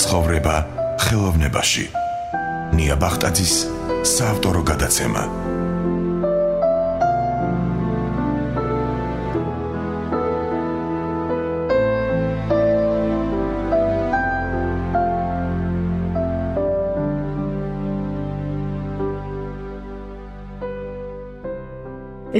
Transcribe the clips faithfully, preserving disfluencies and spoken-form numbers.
ცხოვრება ხელოვნებაში. ნია ბახტაძის საავტორო გადაცემა.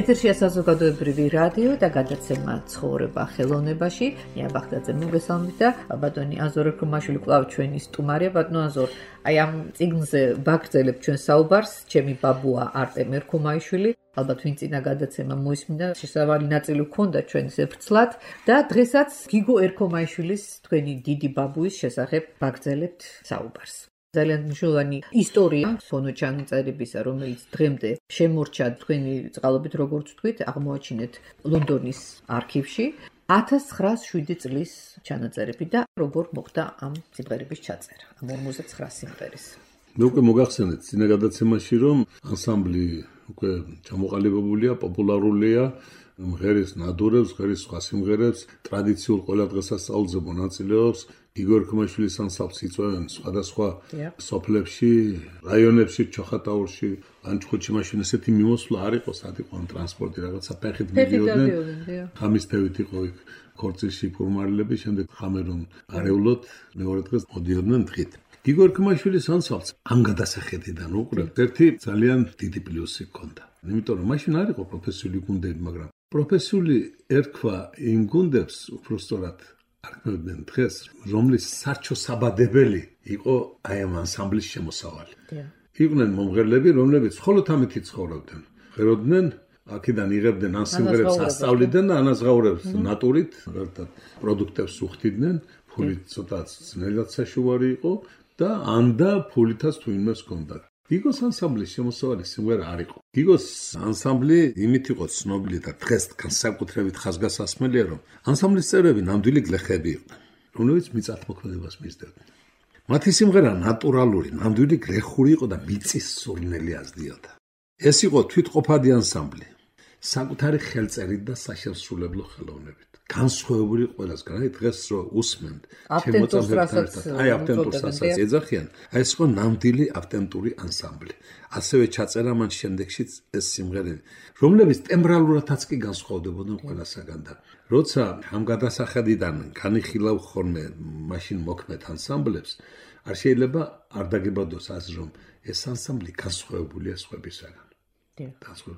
ეთერშია საზოგადოებრივი რადიო და გადაცემა ცხოვრება ხელოვნებაში. ნია ბახტაძე მოგესალმებით და ბატონი აზორ ერქომაშვილი კვლავ ჩვენი სტუმარია. ბატონო აზორ, აი ამ წიგნზე ვაგრძელებ ჩვენ საუბარს. ჩემი ბაბუა არტემ ერქომაიშვილი. ალბათ ვინ წინა გადაცემა მოისმინდა, შესავალი ნაწილი ჰქონდა ჩვენს ეფრცლად და დღესაც გიგო ერქომაიშვილის თქვენი დიდი ბაბუის შესახებ ვაგრძელებთ საუბარს. ძალიან მნიშვნელოვანი ისტორია ფონოჩანწერებისა, რომელიც დღემდე შემორჩა თქვენი წყალობით, როგორც თქვით, აღმოაჩინეთ ლონდონის არქივში ათას ცხრაას შვიდი წლის ჩანაწერები და როგორ მოხდა ამ სიმღერების ჩაწერა, ამ ორმოცდაცხრა სიმღერის. მე უკვე მოგახსენეთ წინა გადაცემაში, რომ ანსამბლი უკვე ჩამოყალიბებულია, პოპულარულია, მღერის ნადურებს, მღერის სხვა სიმღერებს, ტრადიციულ ყველა დღესასწაულზე მონაწილეობს. გიგო ერქომაშვილის ანსამბლს იწვევენ სხვადასხვა სოფლებში, რაიონებში, ჩოხატაურში, ლანჩხუთში მაშინ ესეთი მიმოსვლა არ იყო, სად იყო ამ ტრანსპორტი, რაღაცა ფეხით მიდიოდნენ. ხამის თევით იყო იქ ქორწილში ფურმარილები, შემდეგ ხამერონ არეულოთ, მეორე დღეს მოდიოდნენ დღით. გიგო ერქომაშვილის ანსამბლს ამ გადასახედიდან უყურებთ, ერთი ძალიან დიდი პლუსი ჰქონდა. იმიტომ რომ მაშინ არ იყო პროფესიული გუნდები, მაგრამ პროფესიული ერქვა იმ გუნდებს უბრალოდ არქმევდნენ დღეს, რომლის სარჩო-საბადებელი იყო აი ამ ანსამბლის შემოსავალი. იყვნენ მომღერლები, რომლებიც მხოლოდ ამით ცხოვრობდნენ. ღეროდნენ, აქედან იღებდნენ ამ სიმღერებს ასწავლიდან და ანაზღაურებს ნატურით, მაგალითად პროდუქტებს უხდიდნენ, ფულით ცოტა ძნელად საშუალო იყო და ანდა ფულითაც თუ იმას ჰქონდა. გიგოს ანსამბლის შემოსავალი სიმღერა არ იყო. გიგოს ანსამბლი იმით იყო ცნობილი და დღეს განსაკუთრებით ხაზგასასმელია, რომ ანსამბლის წევრები ნამდვილი გლეხები იყვნენ, რომლებიც მიწათმოქმედებას მისდევდნენ. მათი სიმღერა ნატურალური, ნამდვილი გლეხური იყო და მიწის სურნელი ազდიოდა. ეს იყო თვითყოფადი ანსამბლი, საკუთარი ხელწერით და საშემსრულებლო ხელოვნებით. განსხვავებული ყველასგან, აი დღეს რო უსმენთ, შემოწმებთან, აი ავტენტურსაც ეძახიან, აი ეს იყო ნამდვილი ავტენტური ანსამბლი. ასევე ჩაწერა მან შემდეგშიც ეს სიმღერები, რომლებიც ტემბრალურადაც კი განსხვავდებოდნენ ყველასაგან და როცა ამ გადასახედიდან განიხილავ ხოლმე მაშინ მოქმედ ანსამბლებს, არ შეიძლება არ დაგებადოს აზრი, რომ ეს ანსამბლი განსხვავებულია სხვებისაგან.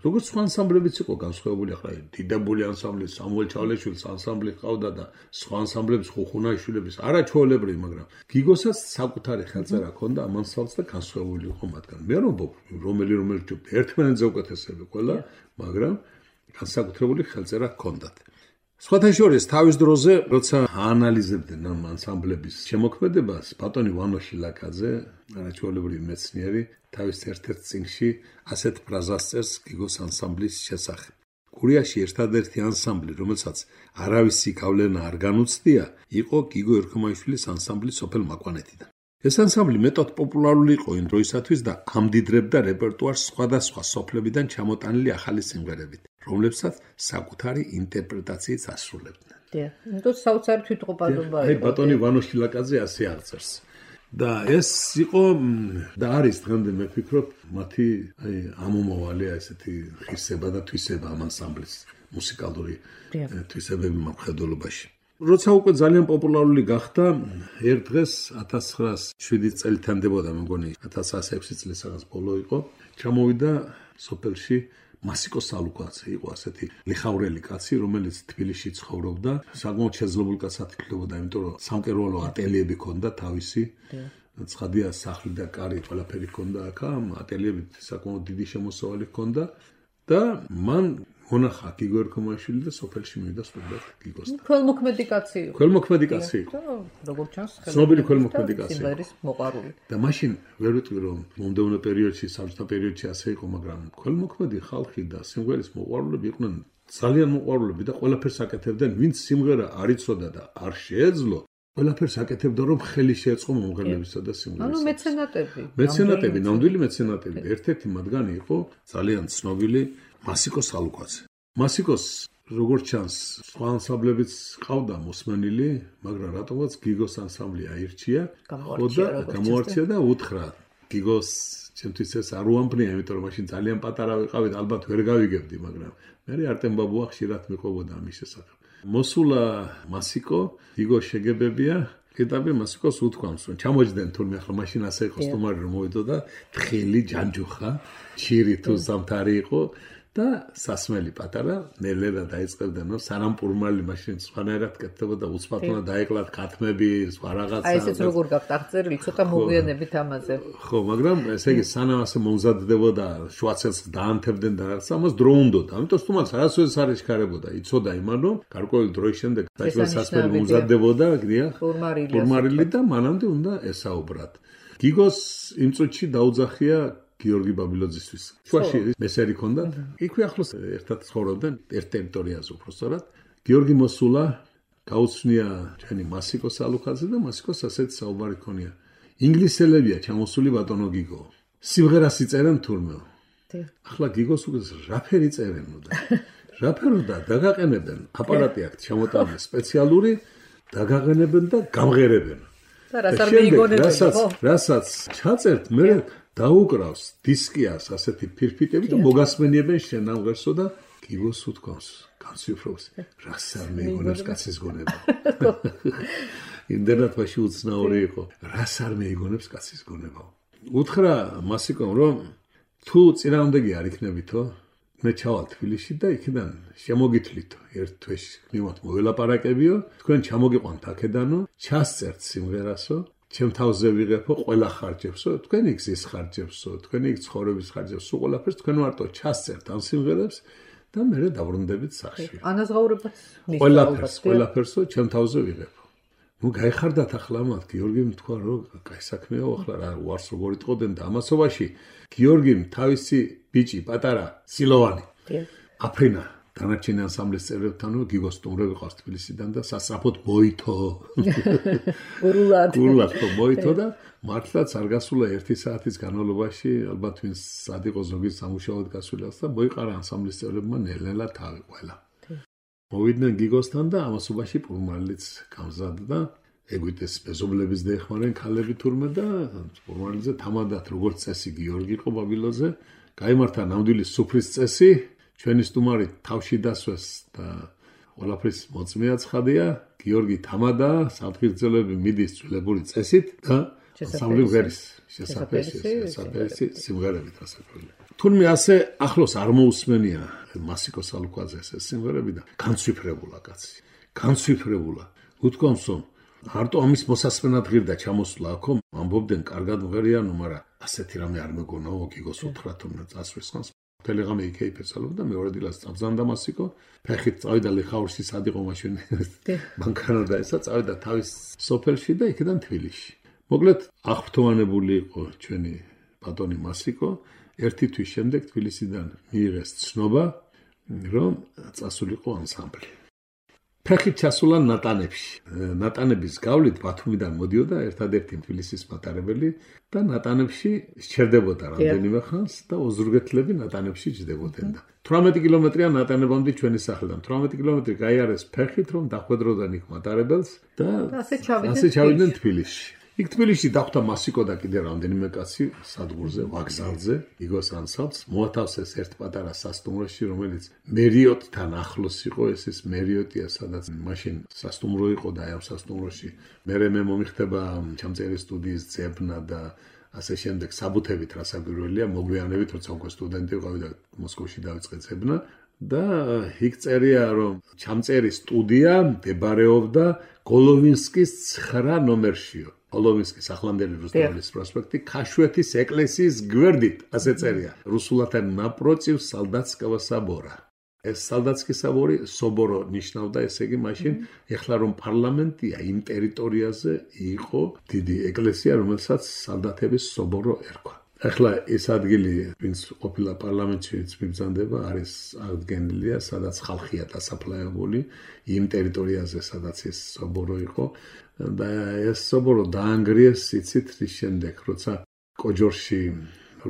როგორც სხვა ანსამბლებიც იყო განსხვავებული, ახლა დიდებული ანსამბლი, სამუელ ჩავლეშვილის ანსამბლი ყავდა და სხვა ანსამბლების ხუხუნაიშვილების არაჩვეულებრივი, მაგრამ გიგოსაც საკუთარი ხელწერა ჰქონდა ამ ანსამბლს და განსხვავებული იყო მათგან. მე რომ რომელი რომელი ჯობდა ერთმანეთზე უკეთესები ყველა, მაგრამ განსაკუთრებული ხელწერა ჰქონდათ. სხვათა შორის თავის დროზე, როცა აანალიზებდნენ ამ ანსამბლების შემოქმედებას, ბატონი ვანო შილაკაძე, არაჩვეულებრივი მეცნიერი, თავის ერთ-ერთ წიგნში ასეთ ფრაზას წერს გიგოს ანსამბლის შესახებ. გურიაში ერთადერთი ანსამბლი, რომელსაც არავისი გავლენა არ განუცდია, იყო გიგო ერქომაიშვილის ანსამბლი სოფელ მაკვანეთიდან. ეს ანსამბლი მეტად პოპულარული იყო იმ დროისათვის და ამდიდრებდა რეპერტუარს სხვადასხვა სოფლებიდან ჩამოტანილი ახალი სიმღერებით, რომლებსაც საკუთარი ინტერპრეტაციით ასრულებდნენ. დიახ, იმიტომ საოცარი თვითყოფადობა იყო. აი ბატონი ვანო შილაკაძე ასე აღწერს. და ეს იყო და არის დღემდე მე ვფიქრობ მათი აი ამომავალი ესეთი ღირსება და თვისება ამ ანსამბლის მუსიკალური თვისებები მომხედველობაში. როცა უკვე ძალიან პოპულარული გახდა, ერთ დღეს ათას ცხრაას შვიდი წელი თანდებოდა, მე მგონი ათას ცხრაას ექვსი წლის რაღაც ბოლო იყო, ჩამოვიდა სოფელში მასიკო სალუკაცი, იყო ასეთი ლიხავრელი კაცი, რომელიც თბილისში ცხოვრობდა, საკმაოდ შეძლებული კაცად ითვლებოდა, იმიტომ რომ სამკერვალო ატელიები ჰქონდა თავისი. ცხადია სახლი და კარი ყველაფერი ჰქონდა აქ, ატელიებით საკმაოდ დიდი შემოსავალი ჰქონდა და მან მონახა გიგო ერქომაიშვილი და სოფელში მივიდა სტუდიად გიგოსთან. ქველმოქმედი კაცი იყო. ქველმოქმედი კაცი იყო. როგორც ჩანს, ცნობილი ქველმოქმედი კაცი. სიმღერის მოყვარული. და მაშინ ვერ ვიტყვი რომ მომდევნო პერიოდში, საბჭოთა პერიოდში ასე იყო, მაგრამ ქველმოქმედი ხალხი და სიმღერის მოყვარულები იყვნენ ძალიან მოყვარულები და ყველაფერს აკეთებდნენ, ვინც სიმღერა არ იცოდა და არ შეეძლო, ყველაფერს აკეთებდა, რომ ხელი შეეწყო მომღერლებისა და სიმღერისა. ანუ მეცენატები. მეცენატები, ნამდვილი მეცენატები. ერთ-ერთი მათგანი იყო ძალიან ცნობილი მასიკო სალუკაცე. მასიკოს როგორც ჩანს, სხვა ანსამბლებიც ყავდა მოსმენილი, მაგრამ რატომაც გიგოს ანსამბლი აირჩია, გამოარჩია გამოარჩია და უთხრა გიგოს ჩემთვის ეს არ უამბნია, იმიტომ რომ მაშინ ძალიან პატარა ვიყავით, ალბათ ვერ გავიგებდი, მაგრამ მე არტემ ბაბუა ხშირად მიყვებოდა ამის შესახებ. მოსულა მასიკო, გიგო შეგებებია, კიტაბი მასიკოს უთქვამს, რომ ჩამოჯდნენ თურმე ახლა მაშინ ასე იყო სტუმარი რომ მოვიდო და თხილი ჯანჯუხა, ჩირი თუ ზამთარი იყო და სასმელი პატარა ნელ-ნელა დაიწყებდნენ, რომ სანამ პურმალი მაშინ სხვანაირად კეთდებოდა, უცბათლად დაეკლათ ქათმები, სხვა რაღაცა. აი ესეც როგორ გაქვთ აღწერილი, ცოტა მოგვიანებით ამაზე. ხო, მაგრამ ესე იგი სანამ ასე მომზადდებოდა, შუაცელს დაანთებდნენ და რაღაცა, ამას დრო უნდოდა. ამიტომ სტუმარს არასოდეს არ ეშქარებოდა, იცოდა იმან, რომ გარკვეული დროის შემდეგ სასმელი მომზადდებოდა, გდია, პურმარილი და მანამდე უნდა ესაუბრათ. გიგოს იმ წუთში დაუძახია გიორგი ბაბილოძისთვის. შუაში მესერი ქონდა. იქვე ახლოს ერთად ცხოვრობდნენ ერთ ტერიტორიაზე უბრალოდ. გიორგი მოსულა გაუცნია ჩვენი მასიკო სალუქაძე და მასიკოს ასეთი საუბარი ქონია. ინგლისელებია ჩამოსული ბატონო გიგო. სიმღერას იწერენ თურმე. ახლა გიგოს უკვე რაფერი წერენო და რაფერო და დაგაყენებენ აპარატი აქვს ჩამოტანილი სპეციალური დაგაყენებენ და გამღერებენ. და რას არ მეიგონებენ, ხო? რასაც ჩაწერთ მე დაუკრავს დისკიას ასეთი ფირფიტები და მოგასმენიებენ შენ ამ ღერსო და გიგოს უთქვამს განსვიფროს რას არ მეიგონებს კაცის გონება. იმდენად მაშინ უცნაური იყო რას არ მეიგონებს კაცის გონება. უთხრა მასიკომ რომ თუ წინააღმდეგი არ იქნებითო მე ჩავალ თბილისში და იქიდან შემოგითვლითო ერთ თვეში მივთ მოველაპარაკებიო თქვენ ჩამოგიყვანთ აქედანო ჩასწერთ სიმღერასო ჩემ თავზე ვიღებო ყველა ხარჯებსო თქვენი გზის ხარჯებსო თქვენი ცხოვრების ხარჯებს სულ ყველაფერს თქვენ მარტო ჩასწერთ ამ სიმღერებს და მე დავრუნდებით სახში. ანაზღაურებაც ყველაფერს ყველაფერსო ჩემ თავზე ვიღებო. ნუ გაიხარდათ ახლა მათ გიორგიმ თქვა რომ კაი საქმეა ახლა რა უარს როგორ იტყოდნენ და ამასობაში გიორგიმ თავისი ბიჭი პატარა სილოვანი აფრინა დანარჩენი ანსამბლის წევრებთან გიგოს სტუმრები ყავს თბილისიდან და სასწრაფოდ მოითო. გურულად. გურულად მოითო და მართლაც არ გასულა ერთი საათის განმავლობაში ალბათ ვინც სად იყო ზოგის სამუშაოდ გასულაც და მოიყარა ანსამბლის წევრებმა ნელ-ნელა თავი ყველა. მოვიდნენ გიგოსთან და ამასობაში პურმალიც გამზადდა ეგვიტეს მეზობლების დაეხმარნენ ქალები თურმე და პურმალიზე თამადათ როგორც წესი გიორგი იყო ბაბილოზე გაიმართა ნამდვილი სუფრის წესი ჩვენი სტუმარი თავში დასვეს და ყველაფრის მოწმეა ცხადია გიორგი თამადა საფრთხილები მიდის ძვლებული წესით და სამლი ღერის შესაძლებელი შესაძლებელი სიმღერებით ასაკული თურმე ასე ახლოს არ მოусმენია მასიკო სალუქაძეს ეს სიმღერები და განცვიფრებულა კაცი განცვიფრებულა უთქვამს რომ არტო ამის მოსასმენად ღირდა ჩამოსვლა აქო ამბობდნენ კარგად მღერიანო მაგრამ ასეთი რამე არ მეგონაო გიგოს უთხრა თურმე წასვლის ხანს ტელეგრამი იქეიფესალო და მეორე დილას წაბზანდა მასიკო ფეხით წავიდა ლიხაურში სად იყო მაშინ ბანკანა და ესა წავიდა თავის სოფელში და იქიდან თბილისში მოკლედ აღფრთოვანებული იყო ჩვენი ბატონი მასიკო ერთი თვის შემდეგ თბილისიდან მიიღეს ცნობა რომ წასულიყო ანსამბლი ფეხით ჩასულა ნატანებში ნატანების გავლით ბათუმიდან მოდიოდა ერთადერთი თბილისის მატარებელი და ნატანებში სჩერდებოდა რამდენიმე ხანს და ოზურგეთლები ნატანებში ჯდებოდნენ და თვრამეტი კილომეტრია ნატანებამდე ჩვენი სახლიდან თვრამეტი კილომეტრი გაიარეს ფეხით რომ დახვედროდნენ იქ მატარებელს და ასე ჩავიდნენ თბილისში იქ თბილისში დახვდა მასიკო და კიდე რამდენიმე კაცი სადგურზე ვაგზალზე იგოს ანსამბლს მოათავსეს ერთ პატარა სასტუმროში რომელიც მერიოტთან ახლოს იყო ეს ის მერიოტია სადაც მაშინ სასტუმრო იყო და ამ სასტუმროში მერე მე მომიხდება ჩამწერი სტუდიის ძებნა და ასე შემდეგ საბუთებით რასაკვირველია მოგვიანებით როცა უკვე სტუდენტი ვიყავი და მოსკოვში დავიწყე ძებნა და იქ წერია რომ ჩამწერი სტუდია მდებარეობდა გოლოვინსკის ცხრა ნომერშიო გოლოვინსკის ახლანდელი რუსთავის პროსპექტი ქაშვეთის ეკლესიის გვერდით ასე წერია რუსულად ნაპროტივ სალდატსკავა საბორა ეს სალდატსკის საბორი სობორო ნიშნავდა ესე იგი მაშინ ეხლა რომ პარლამენტია იმ ტერიტორიაზე იყო დიდი ეკლესია რომელსაც სალდატების სობორო ერქვა ეხლა ეს ადგილი ვინც ყოფილა პარლამენტშიც მიბრძანდება არის აღდგენილია სადაც ხალხია დასაფლავებული იმ ტერიტორიაზე სადაც ეს სობორო იყო და ეს სობორო დაანგრიეს იცით რის შემდეგ როცა კოჯორში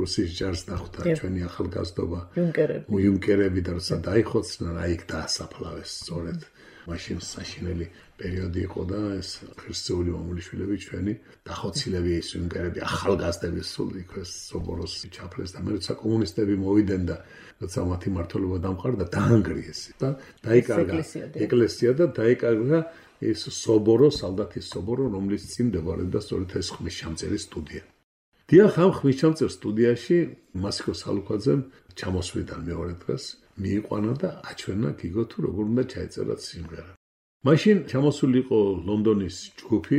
რუსის ჯარს დახვდა ჩვენი ახალგაზრდობა იუნკერები იუნკერები და როცა დაიხოცნენ აი იქ დაასაფლავეს სწორედ მაშინ საშინელი პერიოდი იყო და ეს ქრისტეული მამულიშვილები ჩვენი დახოცილები ეს იუნკერები ახალგაზრდები სულ იქ სობოროს ჩაფლეს და მე როცა კომუნისტები მოვიდნენ და როცა მათი მმართველობა დამყარდა დაანგრიეს და დაიკარგა ეკლესია და დაიკარგა ეს სობორო სალდათის სობორო რომლის წინ მდებარეობდა სწორედ ეს ხმისჩამწერი სტუდია. დიახ ამ ხმისჩამწერ სტუდიაში მასიკო სალუქვაძემ ჩამოსვლიდან მეორე დღეს მიიყვანა და აჩვენა გიგო თუ როგორ უნდა ჩაეწერა სიმღერა. მაშინ ჩამოსული იყო ლონდონის ჯგუფი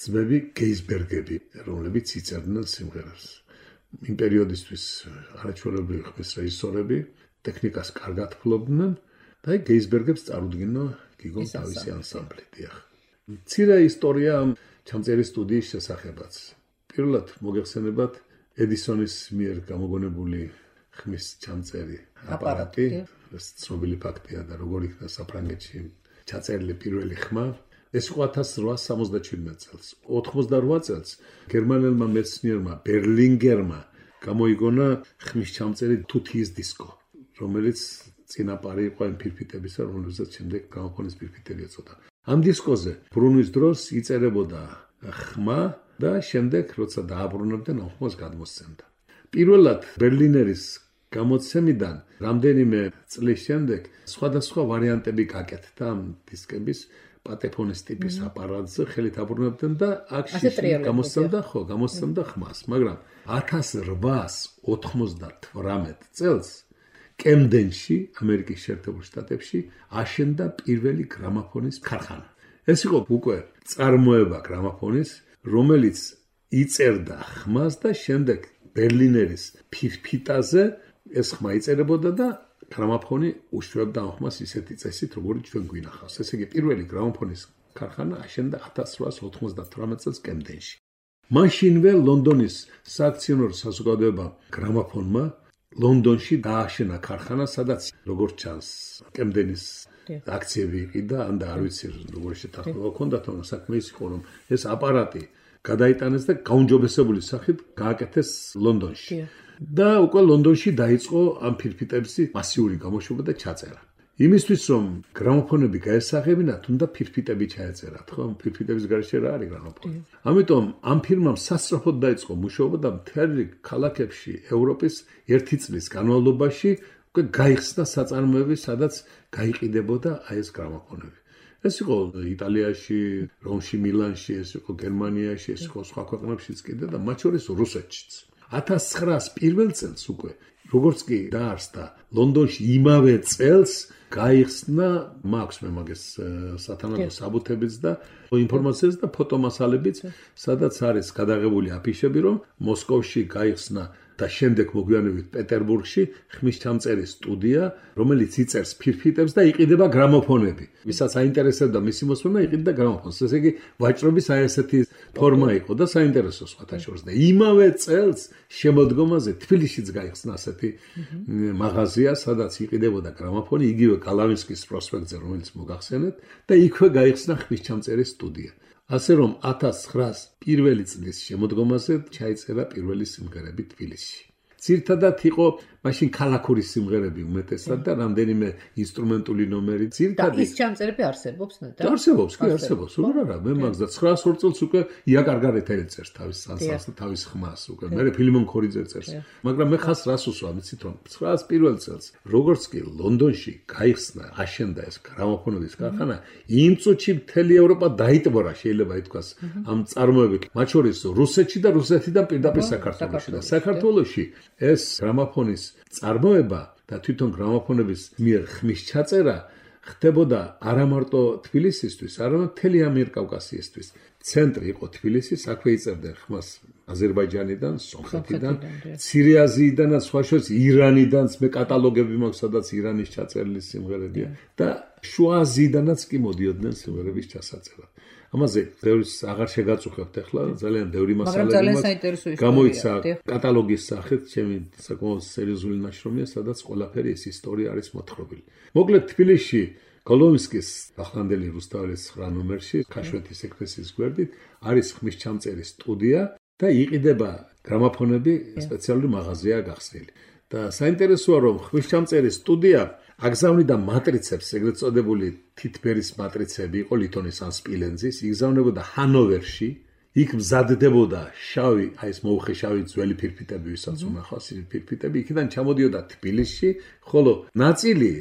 ძმები გეისბერგები, რომლებიც იწერდნენ სიმღერას. იმ პერიოდისთვის არაჩვეულებრივი ხმის რეჟისორები ტექნიკას კარგად ფლობდნენ და აი გეისბერგებს წარუდგინა გიგომ თავისი ანსამბლი. დიახ. მცირე ისტორია ამ ჩამწერი სტუდიის შესახებაც. პირველად მოგეხსენებათ ედისონის მიერ გამოგონებული ხმის ჩამწერი აპარატი, ეს ცნობილი ფაქტია და როგორ იქნა საფრანგეთში ჩაწერილი პირველი ხმა. ეს იყო ათას რვაასი სამოცდაჩვიდმეტ წელს. ოთხმოცდარვა წელს გერმანელმა მეცნიერმა ბერლინგერმა გამოიგონა ხმის ჩამწერი თუთიის დისკო, რომელიც წინაპარი იყო იმ ფირფიტებისა, რომელსაც შემდეგ გამოფონის ფირფიტები ეწოდა. ამ დისკოზე ბრუნვის დროს იწერებოდა ხმა და შემდეგ როცა დააბრუნებდნენ ამ ხმას გადმოსცემდა. პირველად ბერლინერის გამოცემიდან რამდენიმე წლის შემდეგ სხვადასხვა ვარიანტები გაკეთდა ამ დისკების პატეფონის ტიპის აპარატზე ხელით აბრუნებდნენ და აქ გამოსცემდა ხო გამოსცემდა ხმას, მაგრამ ათას რვაასი ოცდათვრამეტ წელს კემდენში, ამერიკის შეერთებულ შტატებში აშენდა პირველი გრამაფონის ქარხანა. ეს იყო უკვე წარმოება გრამაფონის, რომელიც იწერდა ხმას და შემდეგ ბერლინერის ფირფიტაზე ეს ხმა იწერებოდა და გრამაფონი უშვებდა ამ ხმას ისეთი წესით, როგორც ჩვენ გვინახავს. ესე იგი, პირველი გრამაფონის ქარხანა აშენდა ათას რვაასი ოცდათვრამეტ წელს კემდენში. მაშინვე ლონდონის სააქციონერო საზოგადოება გრამაფონმა ლონდონში დააშენა ქარხანა, სადაც როგორც ჩანს, კემდენის აქციები იყიდა, ან და არ ვიცი როგორი შეთანხმება ჰქონდა, თუმცა საქმე ის იყო, რომ ეს აპარატი გადაიტანეს და გაუმჯობესებული სახით გააკეთეს ლონდონში. და უკვე ლონდონში დაიწყო ამ ფირფიტების მასიური გამოშვება და ჩაწერა. იმისთვის რომ გრამოფონები გაესაღებინათ, უნდა ფირფიტები ჩაეწერათ, ხო? ფირფიტების გარეშე რა არის გრამოფონი. ამიტომ ამ ფირმამ სასწრაფოდ დაიწყო მუშაობა და მთელი ქალაქებში ევროპის ერთი წლის განმავლობაში უკვე გაიხსნა საწარმოები, სადაც გაიყიდებოდა აი ეს გრამოფონები. ეს იყო იტალიაში, რომში, მილანში, ეს იყო გერმანიაში, ეს იყო სხვა ქვეყნებშიც კიდე და მათ შორის რუსეთშიც. ათას ცხრაასი პირველ წელს უკვე როგორც კი დაარსდა ლონდონში იმავე წელს გაიხსნა მაქვს მე მაგას სათანადო საბუთებიც და ინფორმაციაც და ფოტომასალებიც, სადაც არის გადაღებული აფიშები, რომ მოსკოვში გაიხსნა და შემდეგ მოგვიანებით პეტერბურგში ხმის ჩამწერი სტუდია, რომელიც იწერს ფირფიტებს და იყიდება გრამოფონები. ვისაც აინტერესებდა მისი მოსმენა, იყიდა გრამოფონს. ესე იგი, ვაჭრობის აი ესეთი ფორმა იყო და საინტერესო სხვათა შორის. და იმავე წელს შემოდგომაზე თბილისშიც გაიხსნა ასეთი მაღაზია, სადაც იყიდებოდა გრამოფონი, იგივე გალავინსკის პროსპექტზე, რომელიც მოგახსენეთ, და იქვე გაიხსნა ხმის ჩამწერი სტუდია. ასე რომ ათას ცხრაასი პირველი წლის შემოდგომაზე ჩაიწერა პირველი სიმღერები თბილისში. ძირითადად იყო მაშინ ქალაქური სიმღერები უმეტესად და რამდენიმე ინსტრუმენტული ნომერი. ძირითადად ის ჩამწერები არსებობს ნეტა? არსებობს, კი არსებობს. როგორ არა, მე მაგს და ცხრაას ორ წელს უკვე იაკარგარეთ ეწერს თავის სანსანს და თავის ხმას უკვე. მე ფილიმონ ქორიძე წერს. მაგრამ მე ხას რას უსვა, ვიცით რომ ცხრაას პირველ წელს როგორც კი ლონდონში გაიხსნა, აშენდა ეს გრამოფონების ქარხანა, იმ წუთში მთელი ევროპა დაიტბორა, შეიძლება ითქვას, ამ წარმოებით. მათ შორის რუსეთში და რუსეთიდან პირდაპირ საქართველოში და საქართველოში ეს გრამოფონის წარმოება და თვითონ გრამოფონების მიერ ხმის ჩაწერა ხდებოდა არა მარტო თბილისისთვის, არამედ მთელი ამიერკავკასიისთვის. ცენტრი იყო თბილისი, აქვე იწერდნენ ხმას აზერბაიჯანიდან, სომხეთიდან, მცირე აზიიდანაც, სხვა შორის ირანიდანაც, მე კატალოგები მაქვს, სადაც ირანის ჩაწერილი სიმღერებია და შუა აზიიდანაც კი მოდიოდნენ სიმღერების ჩასაწერად. ამაზე ბევრს აღარ შეგაწუხებთ ახლა, ძალიან ბევრი მასალები მაქვს. გამოიცა კატალოგის სახით, ჩემი საკმაოდ სერიოზული ნაშრომია, სადაც ყველაფერი ეს ისტორია არის მოთხრობილი. მოკლედ თბილისში კოლომსკის ახლანდელი რუსთაველის ცხრა ნომერში, ქაშვეთის ეკლესიის გვერდით არის ხმის ჩამწერი სტუდია და იყიდება გრამაფონები სპეციალური მაღაზია გახსნილი. და საინტერესოა რომ ღვთისმჭამწერის სტუდია აგზავნიდა მატრიცებს, ეგრეთ წოდებული თითბერის მატრიცები იყო ლითონის ან სპილენძის, იგზავნებოდა ჰანოვერში, იქ მზადდებოდა შავი, აი ეს მოუხე შავი ძველი ფირფიტები, ვისაც უნახავს ფირფიტები, იქიდან ჩამოდიოდა თბილისში, ხოლო ნაწილი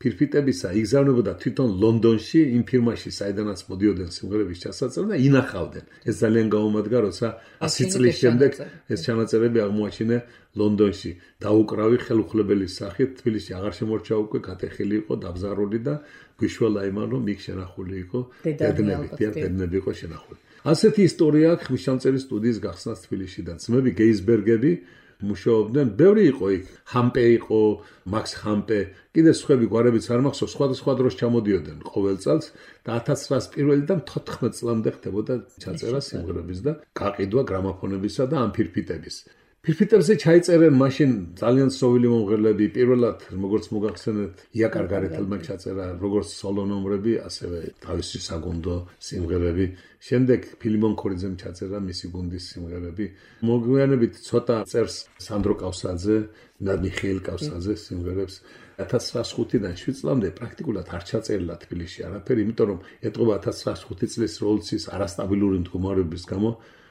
ფირფიტებისა იგზავნებოდა თვითონ ლონდონში, იმ ფირმაში, საიდანაც მოდიოდნენ სიმღერების ჩასაწერად და ინახავდნენ. ეს ძალიან გაუმადგა, როცა ასი წლის შემდეგ ეს ჩანაწერები აღმოაჩინა ლონდონში. დაუკრავი ხელუხლებელის სახით, თბილისში აღარ შემორჩა უკვე, გატეხილი იყო, დაბზარული და გვიშველა იმან, რომ იქ შენახული იყო დედნები, დედნები იყო შენახული. ასეთი ისტორია აქვს ღვთისმჭამწერის სტუდიის გახსნას თბილისში და ძმები გეისბერგები მუშაობდნენ, ბევრი იყო იქ, ჰამპე იყო, მაქს ჰამპე, კიდე სხვები გვარებიც არ მახსოვს, სხვადასხვა დროს ჩამოდიოდნენ ყოველ წელს და ათას ცხრაას პირველიდან თოთხმეტ წლამდე ხდებოდა ჩაწერა სიმღერების და გაყიდვა გრამაფონებისა და ამ ფირფიტების. ფირფიტებზე ჩაიწერენ მაშინ ძალიან სოვილი მომღერლები, პირველად როგორც მოგახსენეთ, იაკარ გარეთელმა ჩაწერა როგორც სოლო ნომრები, ასევე თავისი საგუნდო სიმღერები. შემდეგ ფილიმონ ქორიძემ ჩაწერა მისი გუნდის სიმღერები. მოგვიანებით ცოტა წერს სანდრო კავსაძე და მიხეილ კავსაძე სიმღერებს. ათას ცხრაას ხუთიდან შვიდ წლამდე პრაქტიკულად არ ჩაწერილა თბილისში არაფერი, იმიტომ რომ ეტყობა ათას ცხრაას ხუთი წლის რევოლუციის არასტაბილური მდგომარეობის გამო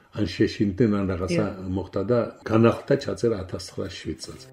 ან შეშინდნენ ან რაღაცა მოხდა და განახლდა ჩაწერა ათას ცხრაას შვიდ წელს.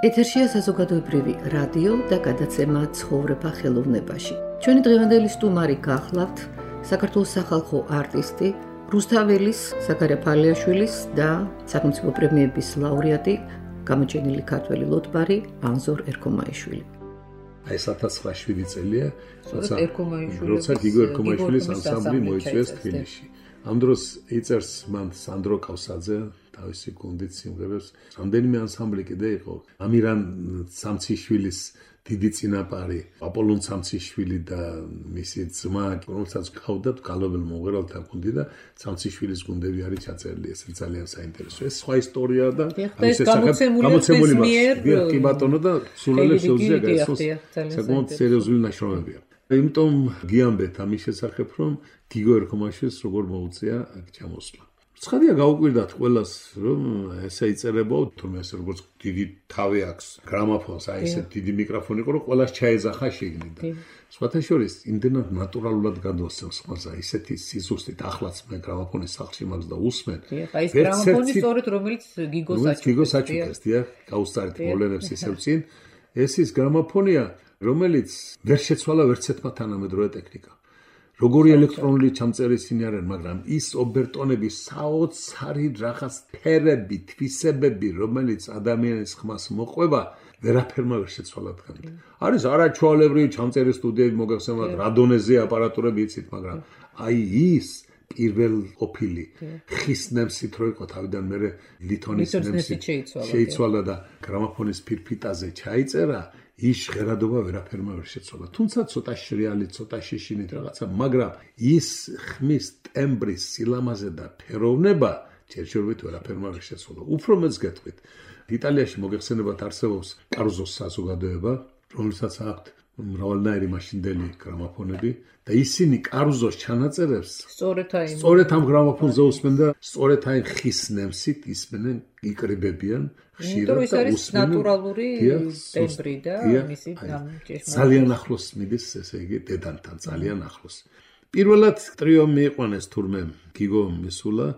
ეთერშია საზოგადოებრივი რადიო და გადაცემა ცხოვრება ხელოვნებაში. ჩვენი დღევანდელი სტუმარი გახლავთ საქართველოს სახალხო არტისტი, რუსთაველის, ზაქარია ფალიაშვილის და სახელმწიფო პრემიების ლაურეატი, გამოჩენილი ქართველი ლოტბარი ანზორ ერქომაიშვილი. აი ეს ათას ცხრაას შვიდი წელია, როცა გიგო ერქომაიშვილის ანსამბლი მოიწვიეს თბილისში. ამ დროს იწერს მან სანდრო კავსაძე თავისი გუნდით სიმღერებს. რამდენიმე ანსამბლი კიდე იყო. ამირან სამციშვილის დიდი წინაპარი, აპოლონ სამციშვილი და მისი ძმა, რომელსაც ყავდათ გალობელ მომღერალთა გუნდი და სამციშვილის გუნდები არის ჩაწერილი, ეს ძალიან საინტერესოა. ეს სხვა ისტორია და ამის გამოცემული მიერ კი ბატონო და სულელებს შეუძლია გაიცნოს. საკმაოდ სერიოზული ნაშრომებია. იმიტომ გიამბეთ ამის შესახებ, რომ გიგო ერქომაშვილს როგორ მოუწია აქ ჩამოსვლა. ცხადია გაუკვირდათ ყველას, რომ ესე იწერებო, თუმცა ეს როგორც დიდი თავი აქვს გრამაფონს, აი ესე დიდი მიკროფონი იყო, რომ ყველას ჩაეძახა შიგნით. სხვათა შორის იმდენად ნატურალურად გადმოსცემს ხმაზე, ისეთი სიზუსტით ახლაც მე გრამაფონის სახლში მაქვს და ვუსმენ. აი ეს გრამაფონი სწორედ რომელიც გიგოს აჩუქეს. გიგოს აჩუქეს, დიახ, გაუსწარით მოვლენებს ისევ წინ. ეს ის გრამაფონია, რომელიც ვერ შეცვალა ვერცერთმა თანამედროვე ტექნიკა. როგორი ელექტრონული ჩამწერისინი არიან, მაგრამ ის ობერტონები, საოცარი რაღაც ფერები, თვისებები, რომელიც ადამიანის ხმას მოყვება, ვერაფერმა ვერ შეცვალა დღემდე. არის არაჩვეულებრივი ჩამწერის სტუდიები მოგახსენებათ, რადონეზე აპარატურები იცით, მაგრამ აი ის პირველ ყოფილი ხის ნემსით რო იყო თავიდან მე ლითონის ნემსით შეიცვალა და გრამაფონის ფირფიტაზე ჩაიწერა. ის ჟღერადობა ვერაფერმა ვერ შეცვალა. თუმცა ცოტა შრიალი, ცოტა შეშინით რაღაცა, მაგრამ ის ხმის ტემბრის სილამაზე და ფეროვნება ჯერჯერობით ვერაფერმა ვერ შეცვალა. უფრო მეც გეტყვით. იტალიაში მოგეხსენებათ არსებობს კარუზოს საზოგადოება, რომელსაც აქვთ მრავალნაირი მაშინდელი გრამაფონები და ისინი კარუზოს ჩანაწერებს სწორედ აი სწორედ ამ გრამაფონზე უსმენ და სწორედ აი ხის ნემსით ისმენენ, იკრიბებიან. ხშირად და უსმენენ ნატურალური ტემბრი და მისი ჭეშმარიტ ძალიან ახლოს მიდის, ესე იგი დედანთან ძალიან ახლოს. პირველად ტრიო მიიყვანეს თურმე გიგო მისულა,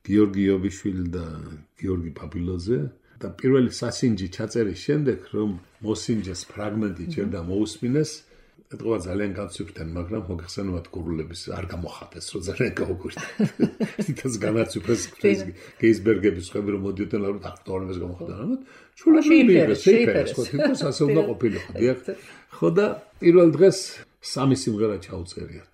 გიორგი იობიშვილი და გიორგი პაპილოძე და პირველი სასინჯი ჩაწერის შემდეგ რომ მოსინჯეს ფრაგმენტი ჯერდა მოусმინეს, ეთყობა ძალიან განცვიფრდნენ, მაგრამ მოგეხსენებათ გურულების არ გამოხატეს, რომ ძალიან გაუკვირდა. თითქოს განაცვიფრეს გეისბერგების ხები რომ მოდიოდნენ, რომ აქტუალებს გამოხატა. ჩულები შეიფერეს, ხო, თითქოს ასე უნდა ყოფილიყო, დიახ. ხო და პირველ დღეს სამი სიმღერა ჩაუწერიათ.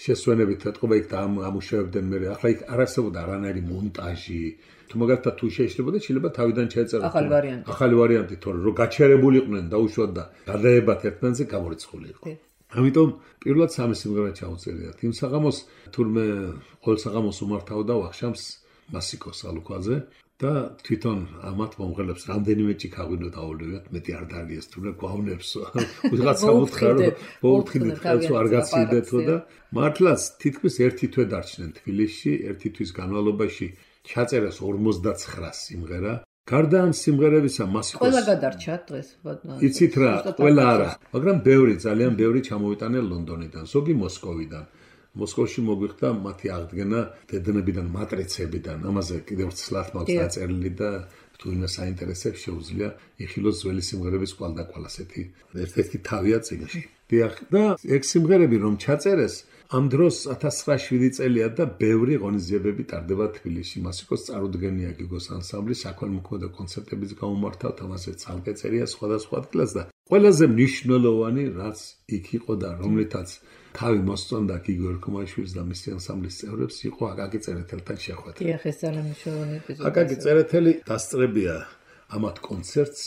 შესვენებით ეთყობა იქ და ამუშავებდნენ მე. ახლა იქ არ არსებობდა არანაირი მონტაჟი. თუ მაგალითად თუ შეიძლება შეიძლება თავიდან ჩაეწეროთ ახალი ვარიანტი. ახალი ვარიანტი, თორე რომ გაჩერებულიყვნენ დაუშვათ და გადაებათ ერთმანეთზე გამორიცხული იყო. ამიტომ პირველად სამი სიმღერა ჩავწერიათ. იმ საღამოს თურმე ყოველ საღამოს უმართავდა ვახშამს მასიკოს ალუქვაძე და თვითონ ამათ მომღერლებს რამდენიმე ჭიქაღვინო დაავლევიათ, მეტი არ დალიეს თურმე გვავნებს. ვიღაცა უთხრა რომ მოუთხიდით ხელს არ გაცილდეთო და მართლაც თითქმის ერთი თვე დარჩნენ თბილისში, ერთი თვის განმავლობაში ჩაწერეს ორმოცდაცხრა სიმღერა. გარდა ამ სიმღერებისა მასიკოს ყველა გადარჩა დღეს ბატონო. იცით რა, ყველა არა, მაგრამ ბევრი, ძალიან ბევრი ჩამოვიტანე ლონდონიდან, ზოგი მოსკოვიდან. მოსკოვში მოგვიხდა მათი აღდგენა დედნებიდან, მატრიცებიდან. ამაზე კიდევ ცლად მაქვს დაწერილი და თუ ვინმე საინტერესებს შეუძლია იხილოს ძველი სიმღერების კვალდაკვალ ასეთი ერთ-ერთი თავია წიგნში. დიახ, და ეგ სიმღერები რომ ჩაწერეს ამ დროს ათას ცხრაასი წელია და ბევრი ღონისძიებები ტარდება თბილისში. მასიკოს წარუდგენია გიგოს ანსამბლი, საქველმოქმედო კონცერტებიც გაუმართავთ, ამაზე ცალკე წერია სხვადასხვა ადგილას და ყველაზე მნიშვნელოვანი რაც იქ იყო და რომლითაც თავი მოსწონდა გიგო ერქომაშვილს და მისი ანსამბლის წევრებს იყო აკაკი წერეთელთან შეხვედრა. დიახ, ეს ძალიან მნიშვნელოვანი ეპიზოდია. აკაკი წერეთელი დასწრებია ამათ კონცერტს,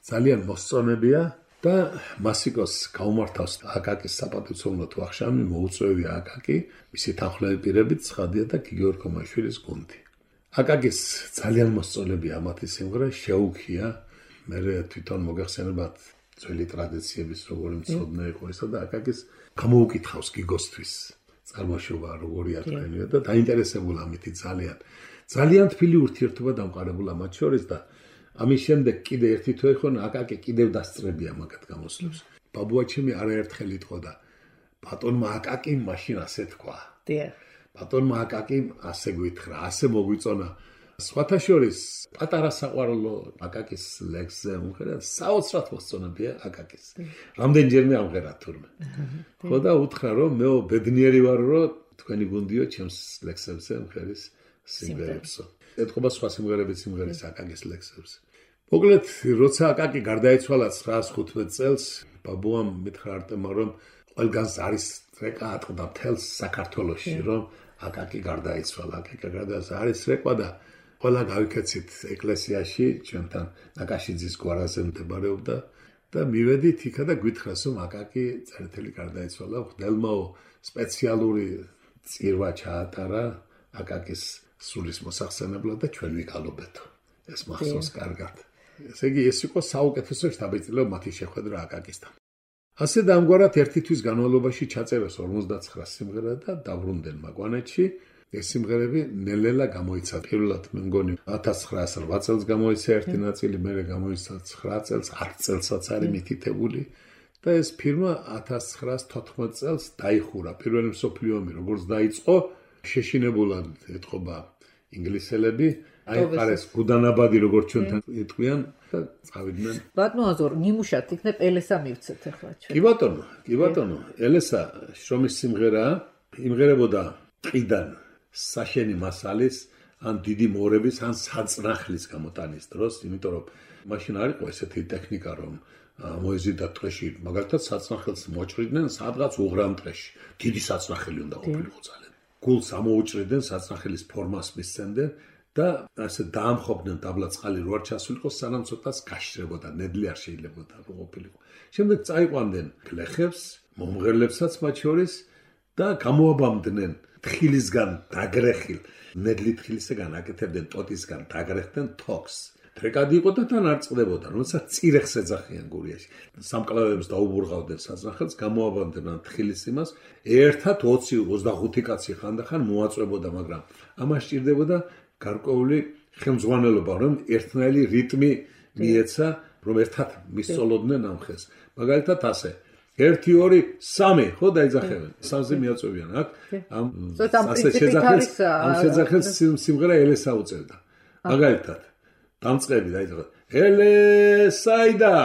ძალიან მოსწონებია. და მასიკოს გაუმართავს აკაკის საპატივცემლოდ ვახშამი, მოუწვევია აკაკი, მისი თანხმლები პირებით ცხადია და გიგო ერქომაშვილის გუნდი. აკაკის ძალიან მოსწონებია ამათი სიმღერა, შეუქია, მე თვითონ მოგეხსენებათ ძველი ტრადიციების როგორი მცოდნე იყო ესა და აკაკის გამოუკითხავს გიგოსთვის წარმოშობა როგორია თქვენია და დაინტერესებულა ამითი ძალიან. ძალიან თბილი ურთიერთობა დამყარებულა მათ შორის და ამის შემდეგ კიდე ერთი თვე ხო აკაკი კიდევ დასწრებია მაგათ გამოსვლებს. ბაბუაჩემი არაერთხელ იტყოდა ბატონმა აკაკიმ მაშინ ასე თქვა. დიახ. ბატონმა აკაკიმ ასე გვითხრა, ასე მოგვიწონა. სხვათა შორის პატარა საყვარლო აკაკის ლექსზე მომღერა, საოცრად მოსწონებია აკაკის. რამდენჯერმე ამღერა თურმე. ხო და უთხრა რომ მეო ბედნიერი ვარ რომ თქვენი გუნდიო ჩემს ლექსებზე მომღერის სიმღერებსო. ეთქობა სხვა სიმღერები სიმღერის აკაკის ლექსებზე. მოკლედ, როცა აკაკი გარდაიცვალა ცხრაას ხუთმეტ წელს, ბაბუამ მითხრა არტემმა რომ ყველგანს არის რეკა ატყდა მთელს საქართველოში, რომ აკაკი გარდაიცვალა, აკაკი გარდაიცვალა, არის რეკვა და ყველა გავიქეცით ეკლესიაში, ჩვენთან ნაკაშიძის გვარაზე მდებარეობდა და მივედით იქა და გვითხრას რომ აკაკი წერეთელი გარდაიცვალა, ხდელმაო სპეციალური წირვა ჩაატარა აკაკის სულის მოსახსენებლად და ჩვენ ვიკალობეთო. ეს მახსოვს კარგად. ესე იგი ეს იყო საუკეთესო შთაბეჭდილება მათი შეხვედრა აკაკისთან. ასე და ამგვარად ერთი თვის განმავლობაში ჩაწერეს ორმოცდაცხრა სიმღერა და დაბრუნდნენ მაგვანეთში. ეს სიმღერები ნელ-ნელა გამოიცა. პირველად მე მგონი ათას ცხრაასი რვა წელს გამოიცა ერთი ნაწილი, მერე გამოიცა ცხრა წელს, ათ წელსაც არის მითითებული და ეს ფილმი ათას ცხრაასი თოთხმეტ წელს დაიხურა. პირველი მსოფლიო ომი როგორც დაიწყო, შეშინებულად ეთყობა ინგლისელები, აიყარეს გუდანაბადი როგორც ჩვენთან იტყვიან და წავიდნენ. ბატონო აზორ, ნიმუშად იქნებ ელესა მივცეთ ახლა ჩვენ. კი ბატონო, კი ბატონო, ელესა შრომის სიმღერა იმღერებოდა ყიდან საშენი მასალის, ან დიდი მორების, ან საწნახლის გამოტანის დროს, იმიტომ რომ მაშინ არ იყო ესეთი ტექნიკა, რომ მოეზიდა ტყეში, მაგალითად საწნახელს მოჭრიდნენ სადღაც უღრამ ტყეში. დიდი საწნახელი უნდა ყოფილიყო ძალიან. გულს ამოუჭრიდნენ, საწნახელის ფორმას მისცემდნენ და ასე დაამხობდნენ დაბლა წყალი რო არ ჩასულიყო, სანამ ცოტას გაშრებოდა, ნედლი არ შეიძლებოდა ყოფილიყო. შემდეგ წაიყვანდნენ გლეხებს, მომღერლებსაც მათ შორის და გამოაბამდნენ თხილისგან დაგრეხილ, ნედლი თხილისგან აკეთებდნენ ტოტისგან დაგრეხდნენ თოქს. რეკადი იყო და თან არ წყდებოდა, როდესაც წირეხს ეძახიან გურიაში. სამკლავებს დაუბურღავდნენ საწნახელს, გამოაბამდნენ თხილის იმას, ერთად ოცი ოცდახუთი კაცი ხანდახან მოაწვებოდა, მაგრამ ამას სჭირდებოდა გარკვეული ხელმძღვანელობა, რომ ერთნაირი რიტმი მიეცა, რომ ერთად მისწოლოდნენ ამ ხელს. მაგალითად ასე ერთი ორი სამი ხო დაიძახებენ. სამზე მიაწვევიან აქ. ამ ასე შეძახეს, ამ შეძახეს სიმღერა ელესა უწევდა. მაგალითად დამწყები დაიძახა. ელესაიდა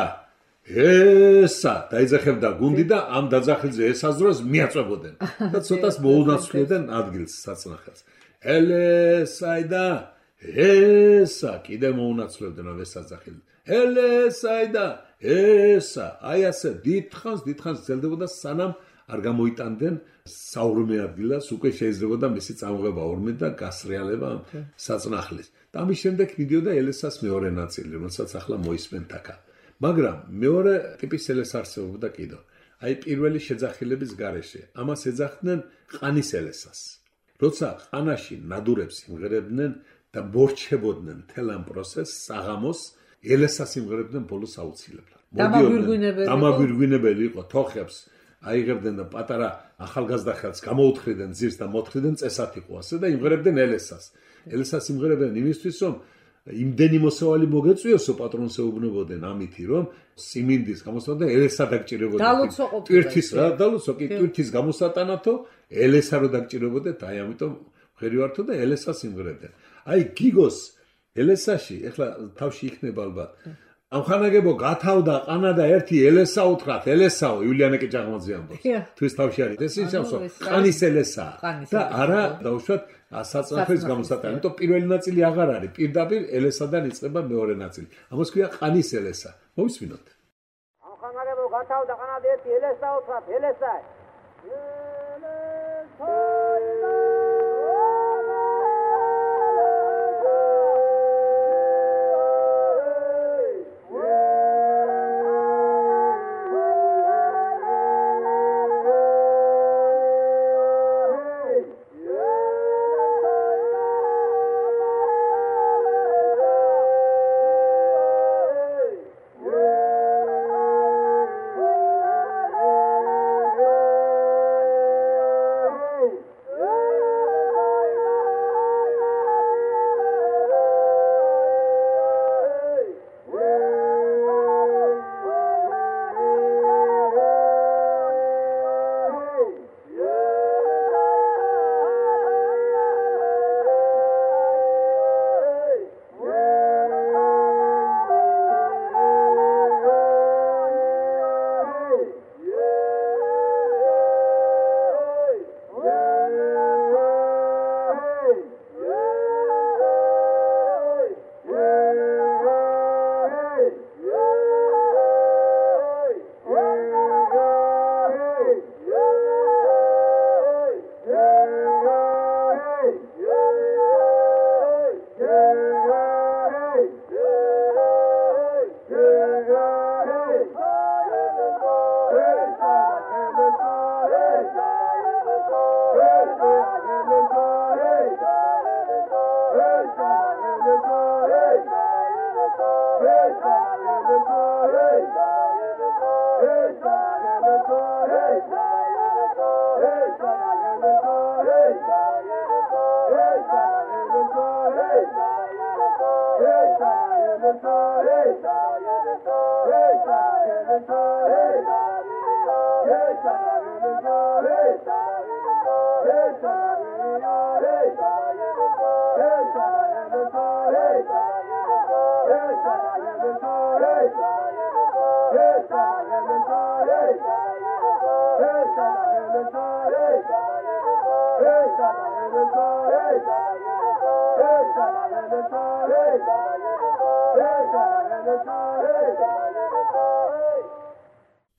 ესა დაიძახებდა გუნდი და ამ დაძახილზე ესას დროს მიაწვებოდნენ და ცოტას მოუნაცვლიდნენ ადგილს საწნახელს. ელესაიდა ესა კიდე მოუნაცვლებდნენ ამ ესაძახილს. ელესაიდა ესა აი ასე დიდხანს დიდხანს გრძელდებოდა სანამ არ გამოიტანდნენ საურმე ადგილას, უკვე შეიძლებოდა მისი წამოღება ორმე და გასრიალება საწნახლის. და ამის შემდეგ მიდიოდა ელესას მეორე ნაწილი, რომელსაც ახლა მოისმენთ აქ. მაგრამ მეორე ტიპის ელესა არსებობდა კიდევ. აი პირველი შეძახილების გარეშე. ამას ეძახდნენ ყანის ელესას. როცა ყანაში ნადურებს იმღერებდნენ და მორჩებოდნენ მთელ ამ პროცესს, საღამოს ელესას იმღერებდნენ ბოლოს აუცილებლად. დამაგვირგვინებელი. დამაგვირგვინებელი იყო თოხებს აიღებდნენ და პატარა ახალგაზრდა ხელს გამოუთხრიდნენ ძირს და მოთხრიდნენ წესად იყო ასე და იმღერებდნენ ელესას. ელესას იმღერებდნენ იმისთვის, რომ იმდენი მოსავალი მოგეწვიოსო პატრონს ეუბნებოდნენ ამითი, რომ სიმინდის გამოსატანად ელესა დაგჭირებოდეთ. ტვირთის რა, დალოცო კი ტვირთის გამოსატანათო ელესა რო დაგჭირებოდეთ, აი ამიტომ ხერივართო და ელესას იმღერებდნენ. აი გიგოს ელესაში, ეხლა თავში იქნება ალბათ. ამხანაგებო გათავდა ყანა და ერთი ელესა უთხრათ, ელესაო იულიანე ჭაღმაძე ამბობს. თვის თავში არის ეს ისევსო ყანის ელესა და არა დაუშვათ საწნახლის გამოსატანი. იმიტომ პირველი ნაწილი აღარ არის, პირდაპირ ელესადან იწყება მეორე ნაწილი. ამას ქვია ყანის ელესა. მოვისმინოთ. ამხანაგებო გათავდა ყანა და ერთი ელესა უთხრათ, ელესა.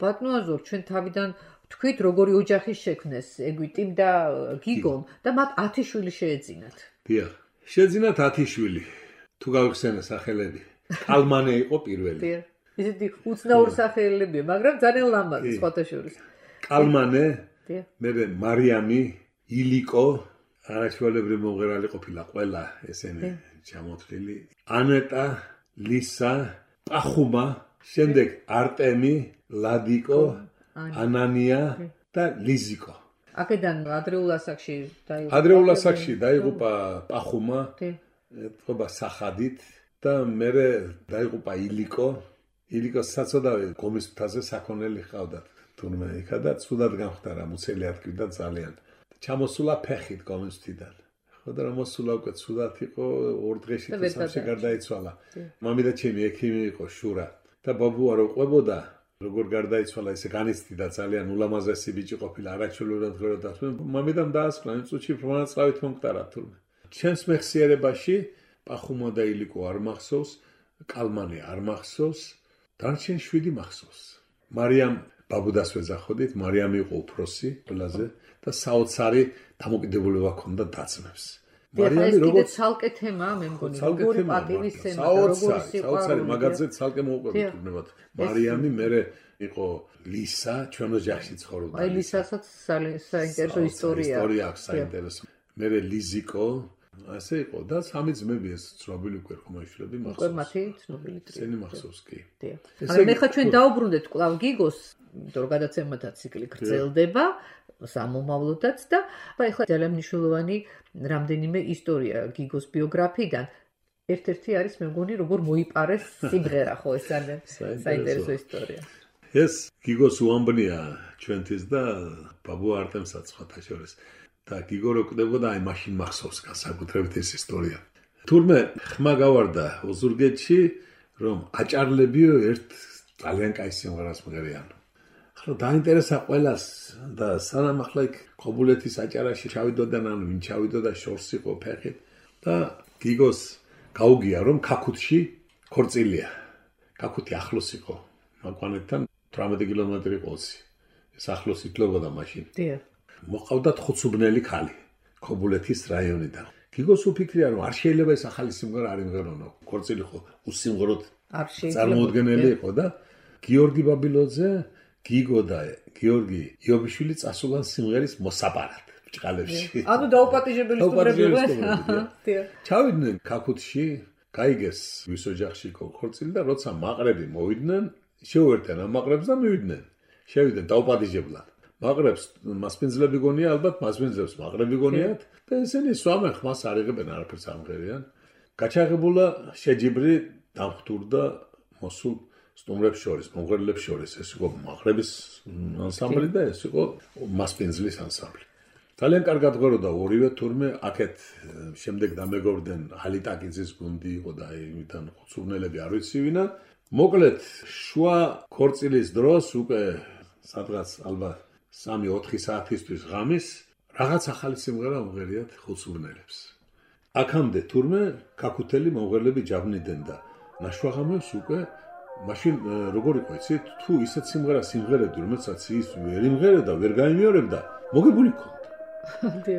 ბატონაზორ, ჩვენ თავიდან თქვით როგორი ოჯახი შექმნეს ეგვიტიმ და გიგომ და მათ ათი შვილი შეეძინათ. დიახ, შეეძინათ ათი შვილი. თუ გავიხსენე სახელები. კალმანე იყო პირველი. დიახ. ისეთი უცნაური სახელებია, მაგრამ ძალიან ლამაზი სხვათა შორის. კალმანე, მერე მარიამი, ილიკო, არაჩვეულებრივი მომღერალი ყოფილა ყველა ესენი ჩამოთვლილი. ანეტა, ლისა, პახუმა, შემდეგ არტემი, ლადიკო, ანანია და ლიზიკო. აქედან ადრეულ ასაკში დაიღუპა. ადრეულ ასაკში დაიღუპა პახუმა, ეთქობა სახადით და მერე დაიღუპა ილიკო. ილიკო საწოდავი გომის მთაზე საქონელი ჰყავდათ. თურმე იქა და ცუდად გამხდარა, მუცელი ატკივდა ძალიან. ჩამოსულა ფეხით გომის მთიდან. ხო და რომ მოსულა უკვე ცუდად იყო, ორ დღეში თუ სამში გარდაიცვალა. მამი და ჩემი ექიმი იყო შურა და ბაბუა რო ყვებოდა როგორ გარდაიცვალა ესე განიცდიდა ძალიან ულამაზესი ბიჭი ყოფილა არაჩვეულებრივად ღეროდა. მამიდამ დაასკვნა იმ წუთში ფრმანაცლავით მომკვდარა თურმე. ჩემს მეხსიერებაში პახუმა და ილიკო არ მახსოვს, კალმანი არ მახსოვს, დარჩენ შვიდი მახსოვს. მარიამ ბაბუდას ვეძახოდით, მარიამი იყო უფროსი ყველაზე და საოცარი დამოკიდებულება ჰქონდა დაცმებს. მარიამი როგორც ცალკე თემაა, მე მგონი, როგორი პატივისცემა, როგორი სიყვარული. საოცარი მაგაზე ცალკე მოუყვებით თურმე. მარიამი მერე იყო ლისა, ჩვენ ოჯახში ცხოვრობდა. აი ლისასაც საინტერესო ისტორია. ისტორია აქვს საინტერესო. მე ლიზიკო ასე იყო და სამი ძმები ეს ცნობილი უკვე ხომაშლები მახსოვს. უკვე მათი ცნობილი ტრიო. ესენი მახსოვს კი. დიახ. მაგრამ მე ხა ჩვენ დაუბრუნდეთ კვლავ გიგოს, იმიტომ რომ გადაცემათა ციკლი გრძელდება, სამომავლოდაც და ეხლა ძალიან მნიშვნელოვანი რამდენიმე ისტორია გიგოს ბიოგრაფიიდან. ერთ-ერთი არის მე მგონი როგორ მოიპარეს სიმღერა ხო ეს ძალიან საინტერესო ისტორია. ეს გიგოს უამბნია ჩვენთვის და ბაბუ არტემსაც ხათა შორის. და გიგო რო კვდებოდა აი მაშინ მახსოვს განსაკუთრებით ეს ისტორია. თურმე ხმა გავარდა ოზურგეთში რომ აჭარლებიო ერთ ძალიან კაი სიმღერას მღერიან. ახლა დაინტერესა ყველას და სანამ ახლა იქ ქობულეთის აჭარაში ჩავიდოდან ან ვინ ჩავიდოდა შორს იყო ფეხი და გიგოს გაუგია რომ ქაქუთში ქორწილია. ქაქუთი ახლოს იყო მაკვანეთთან თვრამეტი კილომეტრი ყოლსი. ეს ახლოს ითვლებოდა მაშინ. დიახ. მოყავდათ ხუცუბნელი ხალი ქობულეთის რაიონიდან. გიგოს უფიქრია რომ არ შეიძლება ეს ახალი სიმღერა არ იმღერონო. ქორწილი ხო უსიმღეროდ არ შეიძლება. წარმოუდგენელი იყო და გიორგი ბაბილოძე, გიგო და გიორგი იობიშვილი წასულან სიმღერის მოსაპარად ბჭყალებში. ანუ დაუპატიჟებელი სტუმრებია. დიახ. ჩავიდნენ ქაქუთში, გაიგეს ვის ოჯახში იყო ქორწილი და როცა მაყრები მოვიდნენ, შეუერთდნენ ამ მაყრებს და მივიდნენ. შევიდნენ დაუპატიჟებლად. მაყრებს მასპინძლები გონია ალბათ მასპინძლებს მაყრები გონიათ და ესენი სვამენ ხმას არ იღებენ არაფერს ამღერიან. გაჩაღებულა შეჯიბრი დამხტურდა მოსულ სტუმრებს შორის, მომღერლებს შორის. ეს იყო მაყრების ანსამბლი და ეს იყო მასპინძლის ანსამბლი. ძალიან კარგად ღეროდა ორივე თურმე აქეთ შემდეგ დამეგობრდნენ ჰალიტაკიძის გუნდი იყო და იმიდან ხუცუბნელები არ ვიცი ვინა. მოკლედ შუა ქორწილის დროს უკვე სადღაც ალბათ სამი ოთხი საათისთვის ღამის რაღაც ახალი სიმღერა მომღერიათ ხუცუბნელებს. აქამდე თურმე ქაქუთელი მომღერლები ჯავნიდნენ და ნაშვაღამებს უკვე მაშინ როგორ იყო იცით თუ ისეთ სიმღერას სიმღერებდი რომელსაც ის ვერ იმღერებდა ვერ გაიმეორებდა მოგებული ქონდა.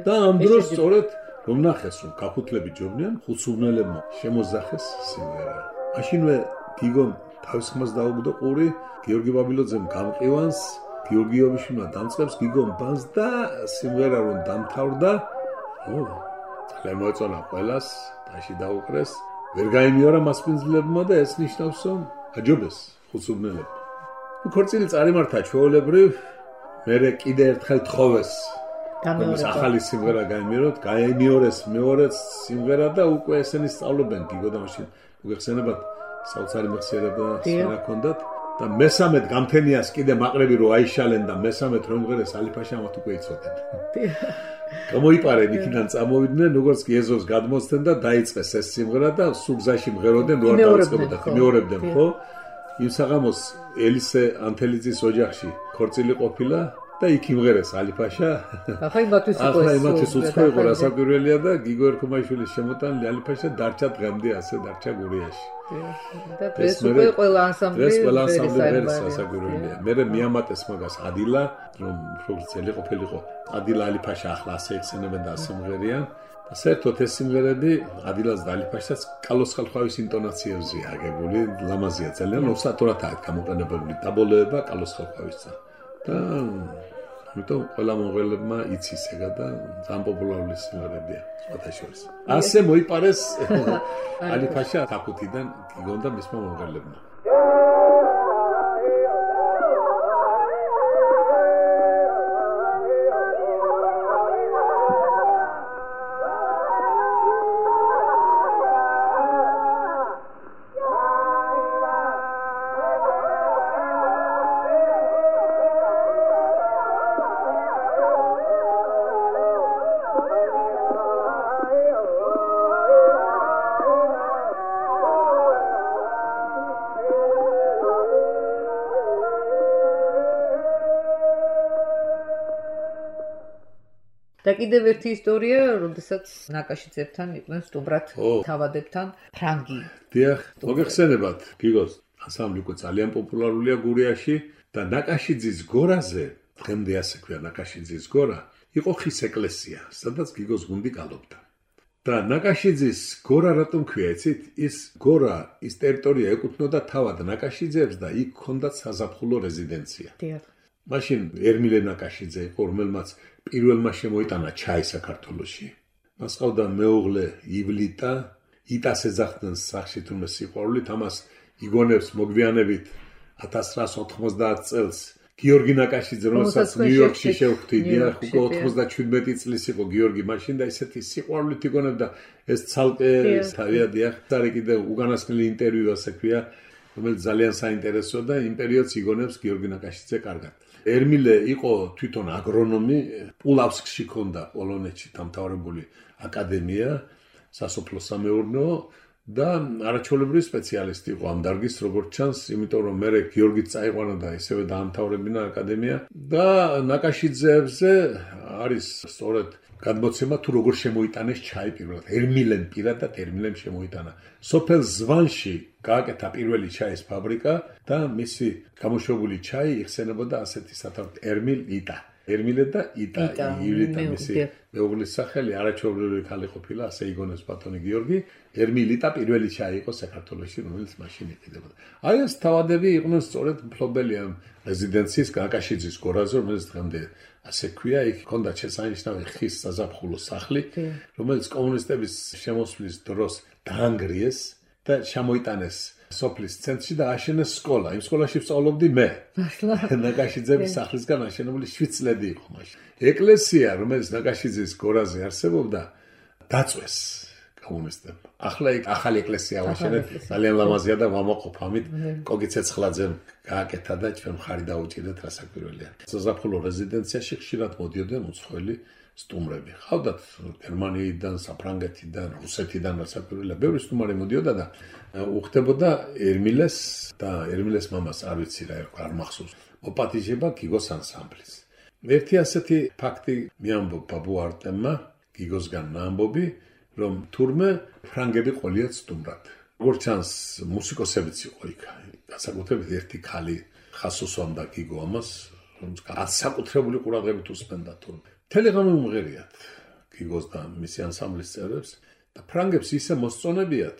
და ამ დროს სწორედ რომ ნახეს რომ ქაქუთლები ჯობნიან ხუცუბნელებმა შემოზახეს სიმღერა. მაშინვე გიგომ თავის ხმას დაუგდო ყური გიორგი ბაბილოძემ გამყივანს გიორგი იობიშვილმა დამწყებს გიგომ ბანს და სიმღერა რომ დამთავრდა ო ძალიან მოეწონა ყველას დაში დაუკრეს ვერ გაიმეორა მასპინძლებმა და ეს ნიშნავს რომ აჯობეს ხუცუბნელები. ქორწილი წარიმართა ჩვეულებრივ მერე კიდე ერთხელ თხოვეს გამეორება ახალი სიმღერა გაიმეოროთ გაიმეორეს მეორე სიმღერა და უკვე ესენი სწავლობენ გიგო და მაშინ მოგეხსენებათ საოცარი მეხსიერება სცენა ჰქონდათ და მესამედ გამთენიას კიდე მაყრები რო აიშალენ და მესამედ რომ მღერეს ალიფაშამოთ უკვე იცოდნენ. გამოიპარენ იქიდან წამოვიდნენ როგორც კი ეზოს გადმოსცენ და დაიწყეს ეს სიმღერა და სუგზაში მღეროდნენ რო არ დაიწყებოდა მეორებდნენ ხო? იმ საღამოს ელისე ანთელიძის ოჯახში ქორწილი ყოფილა და იქ იმღერეს ალიფაშა. ახლა იმათვის იყო ახლა იმათვის უცხო იყო რასაკვირველია და გიგო ერქომაშვილის შემოტანილი ალიფაშა დარჩა დღემდე ასე დარჩა გურიაში. და დღეს უკვე ყველა ანსამბლი დღეს ყველა ანსამბლი ღერს რასაკვირველია. მე მიამატეს მაგას ადილა რომ პროფესიონალი ყოფილიყო. ადილა ალიფაშა ახლა ასე ეხსენებენ და ასე მღერიან. და საერთოდ ეს სიმღერები ადილას და ალიფაშას კალოს ხალხავის ინტონაციებზე აგებული ლამაზია ძალიან ოსტატურად აქვს გამოყენებული დაბოლოება კალოს ხალხავისა. და ამიტომ ყველა მომღერლებმა იცის ეგა და ძალიან პოპულარული სიმღერებია სხვათა შორის. ასე მოიპარეს ალიფაშა ქაქუთიდან გიგომ და მისმა მომღერლებმა. და კიდევ ერთი ისტორია, როდესაც ნაკაშიძებთან იყვნენ სტუმრად თავადებთან ფრანგი. დიახ, მოგეხსენებათ, გიგოს ანსამბლი უკვე ძალიან პოპულარულია გურიაში და ნაკაშიძის გორაზე, დღემდე ასე ქვია ნაკაშიძის გორა, იყო ხის ეკლესია, სადაც გიგოს გუნდი გალობდა. და ნაკაშიძის გორა რატომ ქვია, იცით? ის გორა, ის ტერიტორია ეკუთვნოდა თავად ნაკაშიძეებს და იქ ჰქონდათ საზაფხულო რეზიდენცია. დიახ. მაშინ ერმილე ნაკაშიძე იყო, რომელმაც პირველმა შემოიტანა ჩაი საქართველოში. მას ყავდა მეუღლე ივლიტა, იტას ეძახდნენ სახში თუმცა სიყვარულით, ამას იგონებს მოგვიანებით ათას ცხრაას ოთხმოცდაათ წელს გიორგი ნაკაშიძე, რომელსაც ნიუ-იორკში შევხვდი, დიახ, უკვე ოცდაშვიდმეტი წლის იყო გიორგი მაშინ და ისეთი სიყვარულით იგონებდა ეს ცალკე თავია, დიახ, წარი კიდე უკანასკნელი ინტერვიუ ასე ქვია, რომელიც ძალიან საინტერესოა და იმ პერიოდს იგონებს გიორგი ნაკაშიძე კარგად. ერმილე იყო თვითონ აგრონომი, პულავსკში ჰქონდა პოლონეთში დამთავრებული აკადემია, სასოფლო სამეურნეო და არაჩვეულებრივი სპეციალისტი იყო ამ დარგის, როგორც ჩანს, იმიტომ რომ მე გიორგიც წაიყვანა და ისევე დაამთავრებინა აკადემია და ნაკაშიძეებზე არის სწორედ გადმოცემა თუ როგორ შემოიტანეს ჩაი პირველად. ერმილემ პირადად ერმილემ შემოიტანა. სოფელ ზვანში გააკეთა პირველი ჩაის ფაბრიკა და მისი გამოშვებული ჩაი იხსენებოდა ასეთი სათავით ერმილ იტა. ერმილე და იტა, ივლიტა მისი მეუღლის სახელი, არაჩვეულებრივი ქალი ყოფილა, ასე იგონებს ბატონი გიორგი. ერმილ იტა პირველი ჩაი იყო საქართველოში, რომელიც მაშინ იყიდებოდა. აი ეს თავადები იყვნენ სწორედ მფლობელი ამ რეზიდენციის ნაკაშიძის გორაზე, რომელიც დღემდე ასე ქვია, იქ ჰქონდა შესანიშნავი ხის საზაფხულო სახლი, რომელიც კომუნისტების შემოსვლის დროს დაანგრიეს და შემოიტანეს სოფლის ცენტრში და აშენეს სკოლა. იმ სკოლაში ვსწავლობდი მე. ნაკაშიძების სახლისგან აშენებული შვიდ წლები იყო მაშინ. ეკლესია, რომელიც ნაკაშიძის გორაზე არსებობდა, დაწვეს კომუნისტებმა. ახლა იქ ახალი ეკლესია ვაშენეთ, ძალიან ლამაზია და ვამაყობ ამით. კოგი ცეცხლაძემ გააკეთა და ჩვენ მხარი დაუჭირეთ რასაკვირველია. საზაფხულო რეზიდენციაში ხშირად მოდიოდნენ უცხოელი სტუმრები. ყავდათ გერმანიიდან, საფრანგეთიდან, რუსეთიდან რასაკვირველია. ბევრი სტუმარი მოდიოდა და უხდებოდა ერმილეს და ერმილეს მამას არ ვიცი რა ერქვა, არ მახსოვს. მოპატიჟება გიგოს ანსამბლის. ერთი ასეთი ფაქტი მიამბობ ბაბუ არტემმა, გიგოსგან ამბობი, რომ თურმე ფრანგები ყოლიათ სტუმრად. როგორც ჩანს, მუსიკოსებიც იყო იქ. განსაკუთრებით ერთი ქალი ხას უსვამდა გიგო ამას, რომელიც განსაკუთრებული ყურადღებით უსმენდა თურმე. თელეგრამი უმღერიათ გიგოს და მისი ანსამბლის წევრებს და ფრანგებს ისე მოსწონებიათ,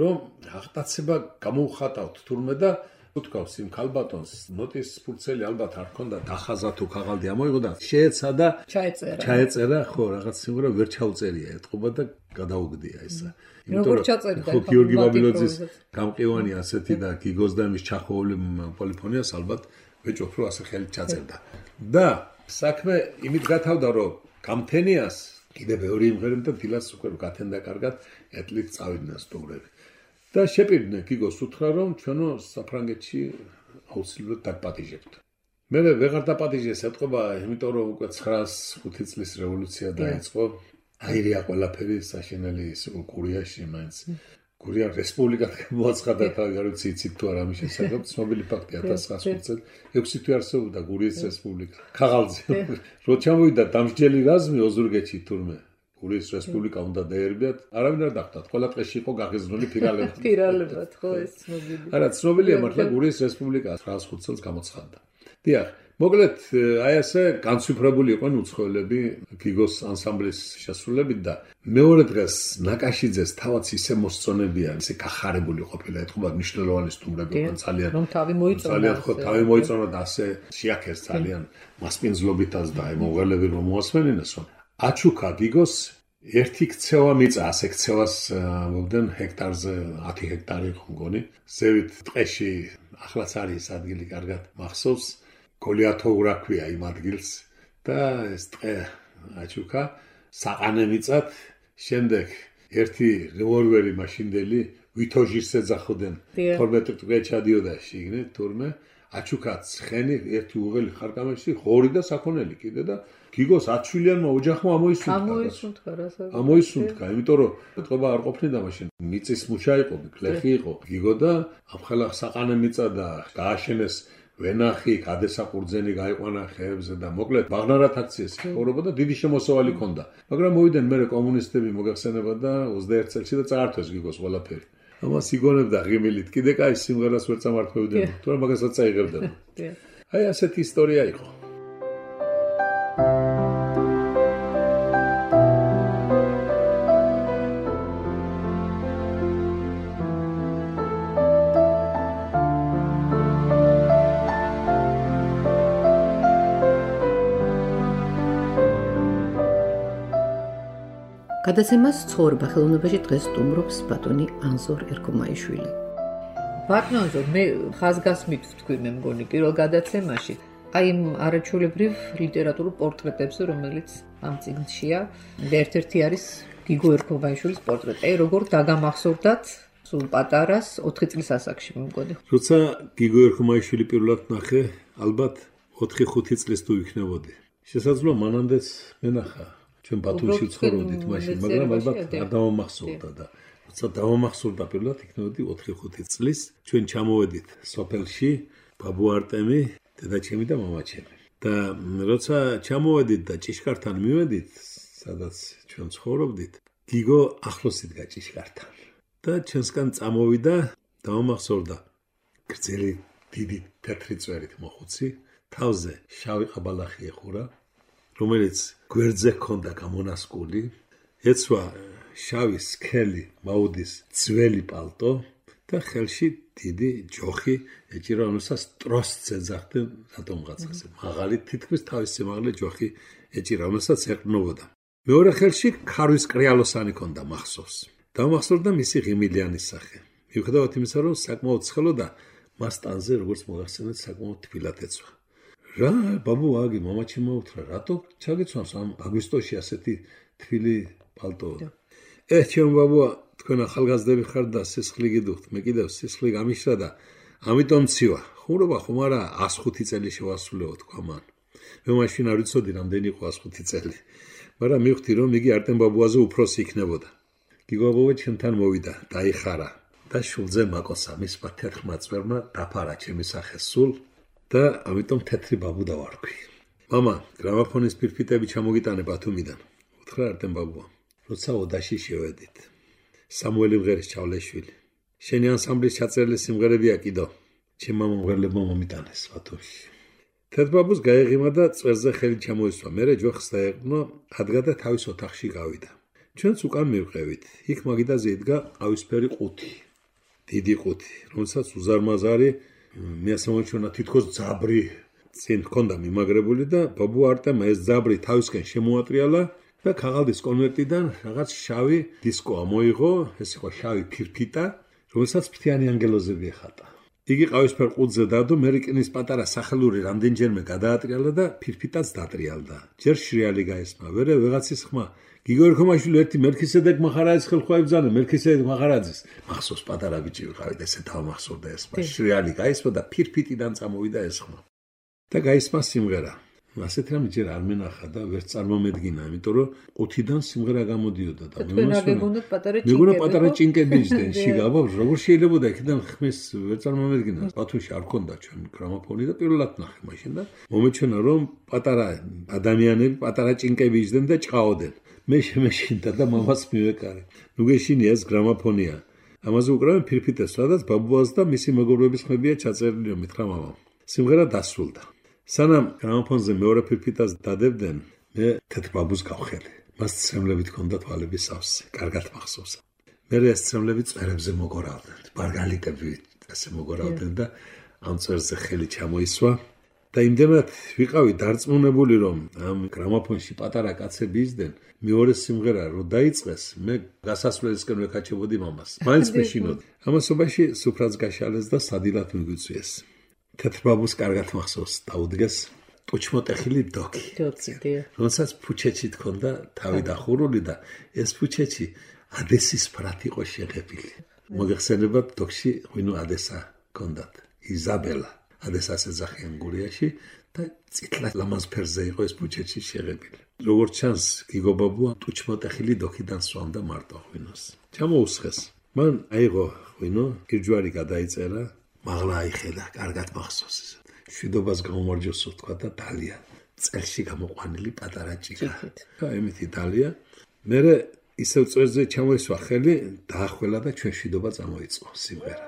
რომ აღტაცება გამოუხატავთ თურმე და უთქვავს იმ ქალბატონს, ნოტის ფურცელი ალბათ არ ქონდა, დახაზა თუ ქაღალდი ამოიღო და შეეცადა, ჩაეწერა. ჩაეწერა, ხო, რაღაც სიმღერა ვერ ჩაუწერია, ეთყობა და გადაუგდია ისა. როგორ ჩაწერდა? ხო, გიორგი ბაბილოძის გამყივანი ასეთი და გიგოს და მის ჩახოული პოლიფონიას ალბათ ვეჭვობ, რომ ასე ხელით ჩაწერდა. და საქმე იმით გათავდა, რომ გამთენიას კიდე ბევრი იმღერებდა დილას უკვე გათენდა კარგად, ეტლით წავიდნენ სტუმრები. და შეპირდნენ გიგოს უთხრა, რომ ჩვენო საფრანგეთში აუცილებლად დაგპატიჟებთ. მე ვეღარ დაპატიჟეს ეთყობა, იმიტომ რომ უკვე ცხრაას ხუთი წლის რევოლუცია დაიწყო. აირია ყველაფერი საშენელი ის გურიაში მაინც. გურია რესპუბლიკად მოაცხადა თავი, არ ვიცი იცით თუ არა ამის შესახებ, ცნობილი ფაქტია ათას ცხრაას ხუთი წელს ექვსი თვე არსებობდა გურიის რესპუბლიკა. ქაღალდზე. რო ჩამოვიდა დამსჯელი რაზმი ოზურგეთში თურმე. გურიის რესპუბლიკა უნდა დაერბიათ, არავინ არ დახვდათ, ყველა დღეში იყო გაღიზნული ფირალებად. ფირალებად, ხო, ეს ცნობილი. არა, ცნობილია მართლა გურიის რესპუბლიკა ცხრაას ხუთი წელს გამოცხადდა. დიახ, მოკლედ აი ასე განცვიფრებული იყვნენ უცხოელები გიგოს ანსამბლის შესრულებით და მეორე დღეს ნაკაშიძეს თავაც ისე მოსწონებიან, ისე გახარებული ყოფილა, ეთქობა მნიშვნელოვანი სტუმრები იყვნენ ძალიან. რომ თავი მოიწონა. ძალიან ხო, თავი მოიწონა და ასე შეაქეს ძალიან მასპინძლობითაც და აი მომღერლები რომ მოასმენინეს, რომ აჩუქა გიგოს ერთი ქცევა მიწა, ასე ქცევას მოგდნენ ჰექტარზე ათი ჰექტარი იყო მგონი. ზევით ტყეში ახლაც არის ადგილი კარგად მახსოვს. გოლიათოურა ქვია იმ ადგილს და ეს ტყე აჩუქა საყანე მიწად. შემდეგ ერთი რევოლვერი მაშინდელი ვითოჟის ეძახოდნენ. თორმეტი ტყე ჩადიოდა შიგნით თურმე. აჩუქა ცხენი ერთი უღელი ხარკამებში, ღორი და საქონელი კიდე და გიგოს ათშვილიანმა ოჯახმა ამოისუნთქა. ამოისუნთქა რასაც. ამოისუნთქა, იმიტომ რომ ეთყობა არ ყოფნიდა მაშინ. მიწის მუშა იყო, გლეხი იყო. გიგო და ამხელა საყანე მიწა და გააშენეს ვენახი, გადესაყურძენი გაიყვანა ხეებზე და მოკლედ ბაღნარად აქციეს ცხოვრობა და დიდი შემოსავალი ჰქონდა. მაგრამ მოვიდნენ მერე კომუნისტები მოგახსენება და ოცდაერთ წელში და წაართვეს გიგოს ყველაფერი. ამას იგონებდა ღიმილით. კიდე კაი სიმღერას ვერ წამართმევდნენ, თორემ მაგასაც წაიღებდნენ. აი ასეთი ისტორია იყო. გადაცემას ცხოვრება ხელოვნებაში დღეს სტუმრობს ბატონი ანზორ ერქომაიშვილი. ბატონო ანზორ, მე ხაზგასმით ვთქვი მე მგონი პირველ გადაცემაში აი იმ არაჩვეულებრივ ლიტერატურულ პორტრეტებზე, რომელიც ამ წიგნშია, ერთ-ერთი არის გიგო ერქომაიშვილის პორტრეტი. აი როგორ დაგამახსოვრდათ სულ პატარას ოთხი წლის ასაკში მე მგონი. როცა გიგო ერქომაიშვილი პირველად ნახე, ალბათ ოთხი ხუთი წლის თუ იქნებოდი. შესაძლოა მანამდეც მენახა. ჩვენ ბათუმში ვცხოვრობდით მაშინ, მაგრამ ალბათ არ დავამახსოვრდა და როცა დავამახსოვრდა პირველად იქნებოდი ოთხი ხუთი წლის, ჩვენ ჩამოვედით სოფელში, ბაბუ არტემი, დედაჩემი და მამაჩემი. და როცა ჩამოვედით და ჭიშკართან მივედით, სადაც ჩვენ ცხოვრობდით, გიგო ახლოს იდგა ჭიშკართან. და ჩვენსგან წამოვიდა, დავამახსოვრდა გრძელი დიდი თეთრი წვერით მოხუცი, თავზე შავი ყაბალახი ეხურა, რომელიც გვერდზე ჰქონდა გამონასკული, ეცვა შავი სქელი მაუდის ძველი პალტო და ხელში დიდი ჯოხი ეჭირა, რომელსაც ტროსტს ეძახდნენ რატომღაცაზე. მაღალი თითქმის თავის სიმაღლე ჯოხი ეჭირა, რომელსაც ეყრდნობოდა. მეორე ხელში ქარვის კრიალოსანი ჰქონდა მახსოვს. დავამახსოვრდა მისი ღიმილიანი სახე. მიუხედავად იმისა, რომ საკმაოდ ცხელოდა, მას ტანზე, როგორც მოგახსენეთ, საკმაოდ თბილად ეცვა. რა, ბაბუ აგი, მამაჩი მოუთხრა, რატო ჩაგეცვამს ამ აგვისტოში ასეთი თბილი პალტო? ე, ჩემ ბაბუა, თქვენ ახალგაზრდები ხართ და სისხლი გიდუხთ, მე კიდევ სისხლი გამიშრა და ამიტომ ცივა. ხუმრობა ხომ არა ას ხუთი წელი შევასრულეო, თქვა მან. მე მაშინ არ ვიცოდი რამდენი იყო ას ხუთი წელი, მაგრამ მივხვდი, რომ იგი არტემ ბაბუაზე უფროსი იქნებოდა. გიგო ბაბუა ჩემთან მოვიდა, დაიხარა და შულზე მაკოსა მისმა თეთრმა წვერმა დაფარა ჩემი სახე სულ და ამიტომ თეთრი ბაბუ დავარქვი. მამა, გრამაფონის ფირფიტები ჩამოგიტანე ბათუმიდან, უთხრა არტემ ბაბუა. როცა ოდაში შევედით. სამუელი მღერის ჩავლეშვილი. შენი ანსამბლის ჩაწერილი სიმღერებია კიდო. ჩემმა მომღერლებმა მომიტანეს ბათუმში. თეთრბაბუს გაეღიმა და წვერზე ხელი ჩამოისვა. მერე ჯოხს დაეყრდნო, ადგა და თავის ოთახში გავიდა. ჩვენც უკან მივყევით. იქ მაგიდაზე იდგა ყავისფერი ყუთი. დიდი ყუთი, რომელსაც უზარმაზარი მე ასე მომჩვენა თითქოს ძაბრი წინ ჰქონდა მიმაგრებული და ბაბუ არტემ ეს ძაბრი თავისკენ შემოატრიალა და ქაღალდის კონვერტიდან რაღაც შავი დისკო ამოიღო, ეს იყო შავი ფირფიტა, რომელსაც ფრთიანი ანგელოზები ეხატა. იგი ყავისფერ ყუთზე დადო, მერიკინის პატარა სახელური რამდენჯერმე გადაატრიალა და ფირფიტაც დატრიალდა. ჯერ შრიალი გაესმა, ვერე ვეღაცის ხმა. გიგო ერქომაიშვილი ერთი მელქისედეკ მახარაძის ხელხვა იბრძანა, მელქისედეკ მახარაძის. მახსოვს პატარა ბიჭი ვიყავით, ესე დავამახსოვრდა ეს მას. შრიალი გაესმა და ფირფიტიდან წამოვიდა ეს ხმა. და გაისმა სიმღერა. ასეთ რამე ჯერ არ მენახა და ვერც წარმომედგინა, იმიტომ რომ ყუთიდან სიმღერა გამოდიოდა და მეგონა პატარა ჭინკები იჯდნენ შიგაბა, როგორ შეიძლებოდა იქიდან ხმის ვერ წარმომედგინა. ბათუმში არ ქონდა ჩვენ გრამაფონი და პირველად ნახე მაშინ და მომეჩვენა რომ პატარა ადამიანები პატარა ჭინკები იჯდნენ და ჭყაოდენ. მე შემეშინდა და მამას მივეკარე. ნუ გეშინია ეს გრამაფონია. ამაზე უკრავენ ფირფიტეს, სადაც ბაბუას და მისი მეგობრების ხმებია ჩაწერილი, მითხრა მამამ. სიმღერა დასრულდა. სანამ გრამაფონზე მეორე ფირფიტას დადებდნენ, მე თეთრბაბუს გავხელი. მას ცრემლებით ჰქონდა თვალები სავსე, კარგად მახსოვს. მე ეს ცრემლები წვერებზე მოგორავდნენ, ბარგალიკები ასე მოგორავდნენ და ამ წვერზე ხელი ჩამოისვა და იმდენად ვიყავი დარწმუნებული, რომ ამ გრამაფონში პატარა კაცები იჯდნენ, მეორე სიმღერა რო დაიწყეს, მე გასასვლელისკენ ვეკაჩებოდი მამას. მაინც მეშინოდი. ამასობაში სუფრაც გაშალეს და სადილად მიგვიწვიეს. თეთრბაბუს კარგად მახსოვს, დაუდგეს ტუჩმოტეხილი დოქი. რომელსაც ფუჩეჩი თქონდა თავი დახურული და ეს ფუჩეჩი ადესის ფრათ იყო შეღებილი. მოგეხსენებათ დოქში ღვინო ადესა ჰქონდათ, იზაბელა. ადესას ეძახიან გურიაში და წითლა ლამაზფერზე იყო ეს ფუჩეჩი შეღებილი. როგორც ჩანს, გიგო ბაბუა ტუჩმოტეხილი დოქიდან სვამდა მარტო ღვინოს. ჩამოუსხეს. მან აიღო ღვინო, გირჯვარი გადაიწერა, მაღლა აიხედა, კარგად მახსოვს ის. შვიდობას გამომარჯოსო თქვა და დალია. წელში გამოყვანილი პატარა ჭიქა. და ემეთი დალია. მერე ისევ წვერზე ჩამოისვა ხელი, დაახველა და ჩვენ შვიდობა წამოიწყო სიმღერა.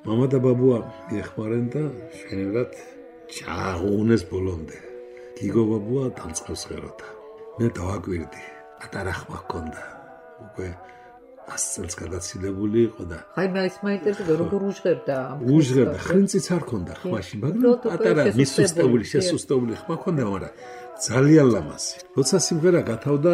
მამა და ბაბუა მიეხმარენ და შენებად ჩააღუნეს ბოლომდე. გიგო ბაბუა დამწყებს ღეროთა. მე დავაკვირდი, პატარა ხმა ჰქონდა. უკვე ას წელს გადაცილებული იყო და აი მე ის მაინტერესებდა როგორ უჟღერდა ამ უჟღერდა ხრინწიც არ ქონდა ხმაში, მაგრამ პატარა მისუსტებული, შესუსტებული ხმა ქონდა, მაგრამ ძალიან ლამაზი. როცა სიმღერა გათავდა,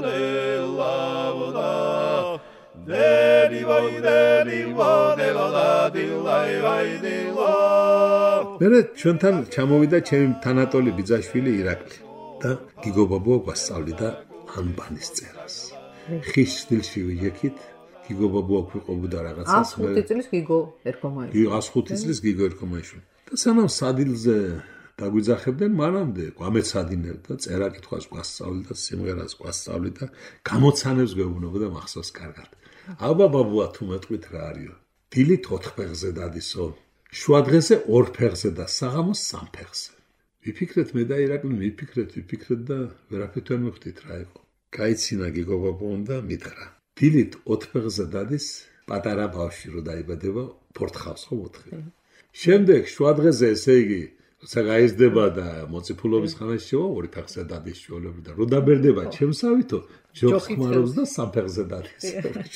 დილავდა დელი ვაი დელი ვადილა დილაი ვაი დილა მე ჩვენთან ჩამოვიდა ჩემი თანატოლი ბიძაშვილი ირაკლი და გიგობაბო გვასწავლიდა ანბანის წერას ხის სტილში ვიექით გიგობაბო აკვიყობდა რაღაცას ას ხუთი წლის გიგო ერქომაიშვილი კი ას ხუთი წლის გიგო ერქომაიშვილი და სანამ სადილზე დაგვიძახებდნენ მანამდე გვამეცადინებ და წერა კითხვას გვასწავლიდა სიმღერას გვასწავლიდა გამოცანებს გვეუბნებოდა მახსოვს კარგად აბა ბაბუა თუ მეტყვით რა არისო დილით ოთხ ფეხზე დადისო შუა დღეზე ორ ფეხზე და საღამოს სამ ფეხზე ვიფიქრეთ მე და ირაკლი ვიფიქრეთ ვიფიქრეთ და ვერაფერთ ვერ მივხვდით რა იყო გაიცინა გიგობაბომ და მითხრა დილით ოთხ ფეხზე დადის პატარა ბავშვი რო დაიბადება ფორთხავს ხო მოთხე შემდეგ შუა დღეზე ესე იგი როცა გაიზრდება და მოციფულობის ხანაში შევა ორი ფეხზე დადის შუალები და რო დაბერდება ჩემსავითო ჯოხს ხმარობს და სამ ფეხზე დადის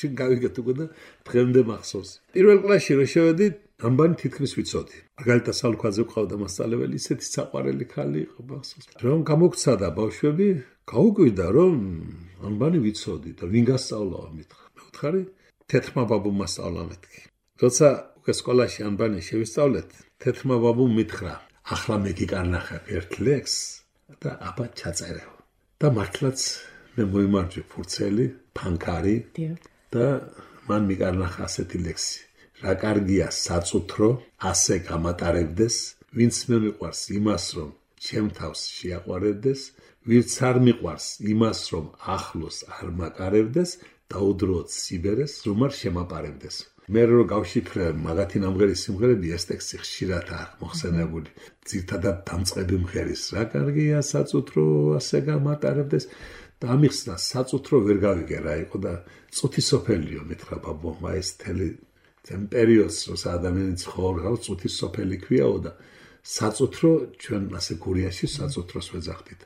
შენ გავიგეთ უკვე და დღემდე მახსოვს პირველ კლასში რო შევედი ანბანი თითქმის ვიცოდი მაგალითად სალუქვაძე ყავდა მასწავლებელი ისეთი საყვარელი ქალი იყო მახსოვს რომ გამოგცადა ბავშვები გაუკვირდა რომ ანბანი ვიცოდი და ვინ გასწავლაო მითხრა მე ვთხარი თეთრმა ბაბუმ მასწავლა მეთქი როცა უკვე სკოლაში ანბანი შევისწავლეთ თეთრმა ბაბუმ მითხრა ახლა მე გიკარნახა ერთ ლექსს და აბა ჩაწერეო და მართლაც მე მოიმარჯვე ფურცელი ფანქარი და მან მიკარნახა ასეთი ლექსი რა კარგია საწუთრო ასე გამატარებდეს ვინც მე მიყვარს იმას, რომ ჩემ თავს შეაყვარებდეს, ვინც არ მიყვარს იმას, რომ ახლოს არ მაკარებდეს, დაუდროოთ სიბერეს, რომ არ შემაპარებდეს. მე რო გავშიფრე მაგათი ნამღერი სიმღერები, ეს ტექსტი ხშირადაა მოხსენებული. ძირთადად დამწყები მღერის, რა კარგია საწუთრო ასე გამატარებდეს და ამიხსნა საწუთრო ვერ გავიგე რა იყო და წუთისოფელიო მითხრა ბაბუა, ეს თელი ძენ პერიოდს როცა ადამიანი ცხოვრობს, წუთისოფელი ქვიაო და საწუთრო ჩვენ ასე გურიაში საწუთროს ვეძახდით.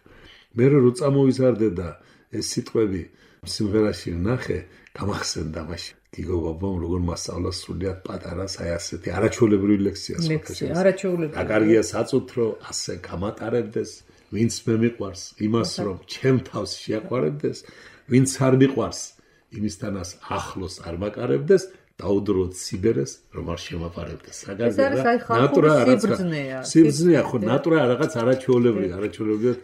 მე რო წამოვიზარდე და ეს სიტყვები სიმღერაში ნახე, გამახსენდა მაშინ. გიგო ბაბამ როგორ მასწავლა სრულიად პატარა აი ასეთი არაჩვეულებრივი ლექციას ლექსია არაჩვეულებრივი. რა კარგია საწუთრო ასე გამატარებდეს, ვინც მე მიყვარს იმას რომ ჩემ თავს შეაყვარებდეს, ვინც არ მიყვარს იმისთანაც ახლოს არ მაკარებდეს, დაუდროოთ სიბერეს, რომ არ შემაპარებდეს. ეს არის აი ხალხური სიბრძნეა. სიბრძნეა ხო, ნატურა რაღაც არაჩვეულებრივი, არაჩვეულებრივი.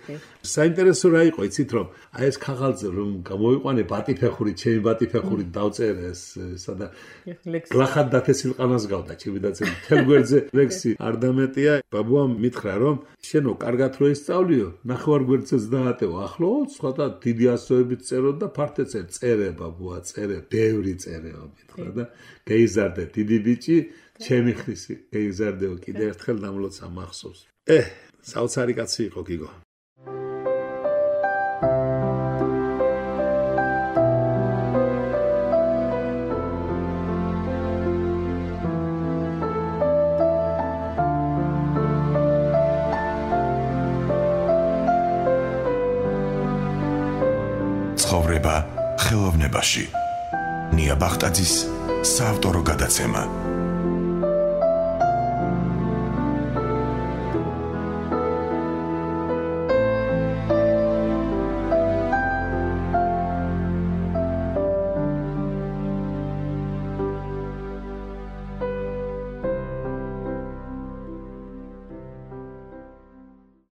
საინტერესო რა იყო, იცით რომ აი ეს ქაღალდზე რომ გამოვიყვანე ბატიფეხური, ჩემი ბატიფეხური დავწერე ეს სადა გლახად დათესილ ყანას გავდა, ჩემი დაწერი თელ გვერდზე ლექსი არ დამეტია. ბაბუამ მითხრა რომ შენო კარგად რო ისწავლიო, ნახევარ გვერდზეც დაატევო. ახლა ცოტა დიდი ასოებით წერო და ფართე წერ, წერე ბაბუა, წერე, ბევრი წერეო მითხრა და გეიზარდე დიდი ბიჭი, ჩემი ხისი გეიზარდეო კიდე ერთხელ დამლოცა მახსოვს. ე, საოცარი კაცი იყო გიგო. ცხოვრება ხელოვნებაში. ნია ბახტაძის საავტორო გადაცემა.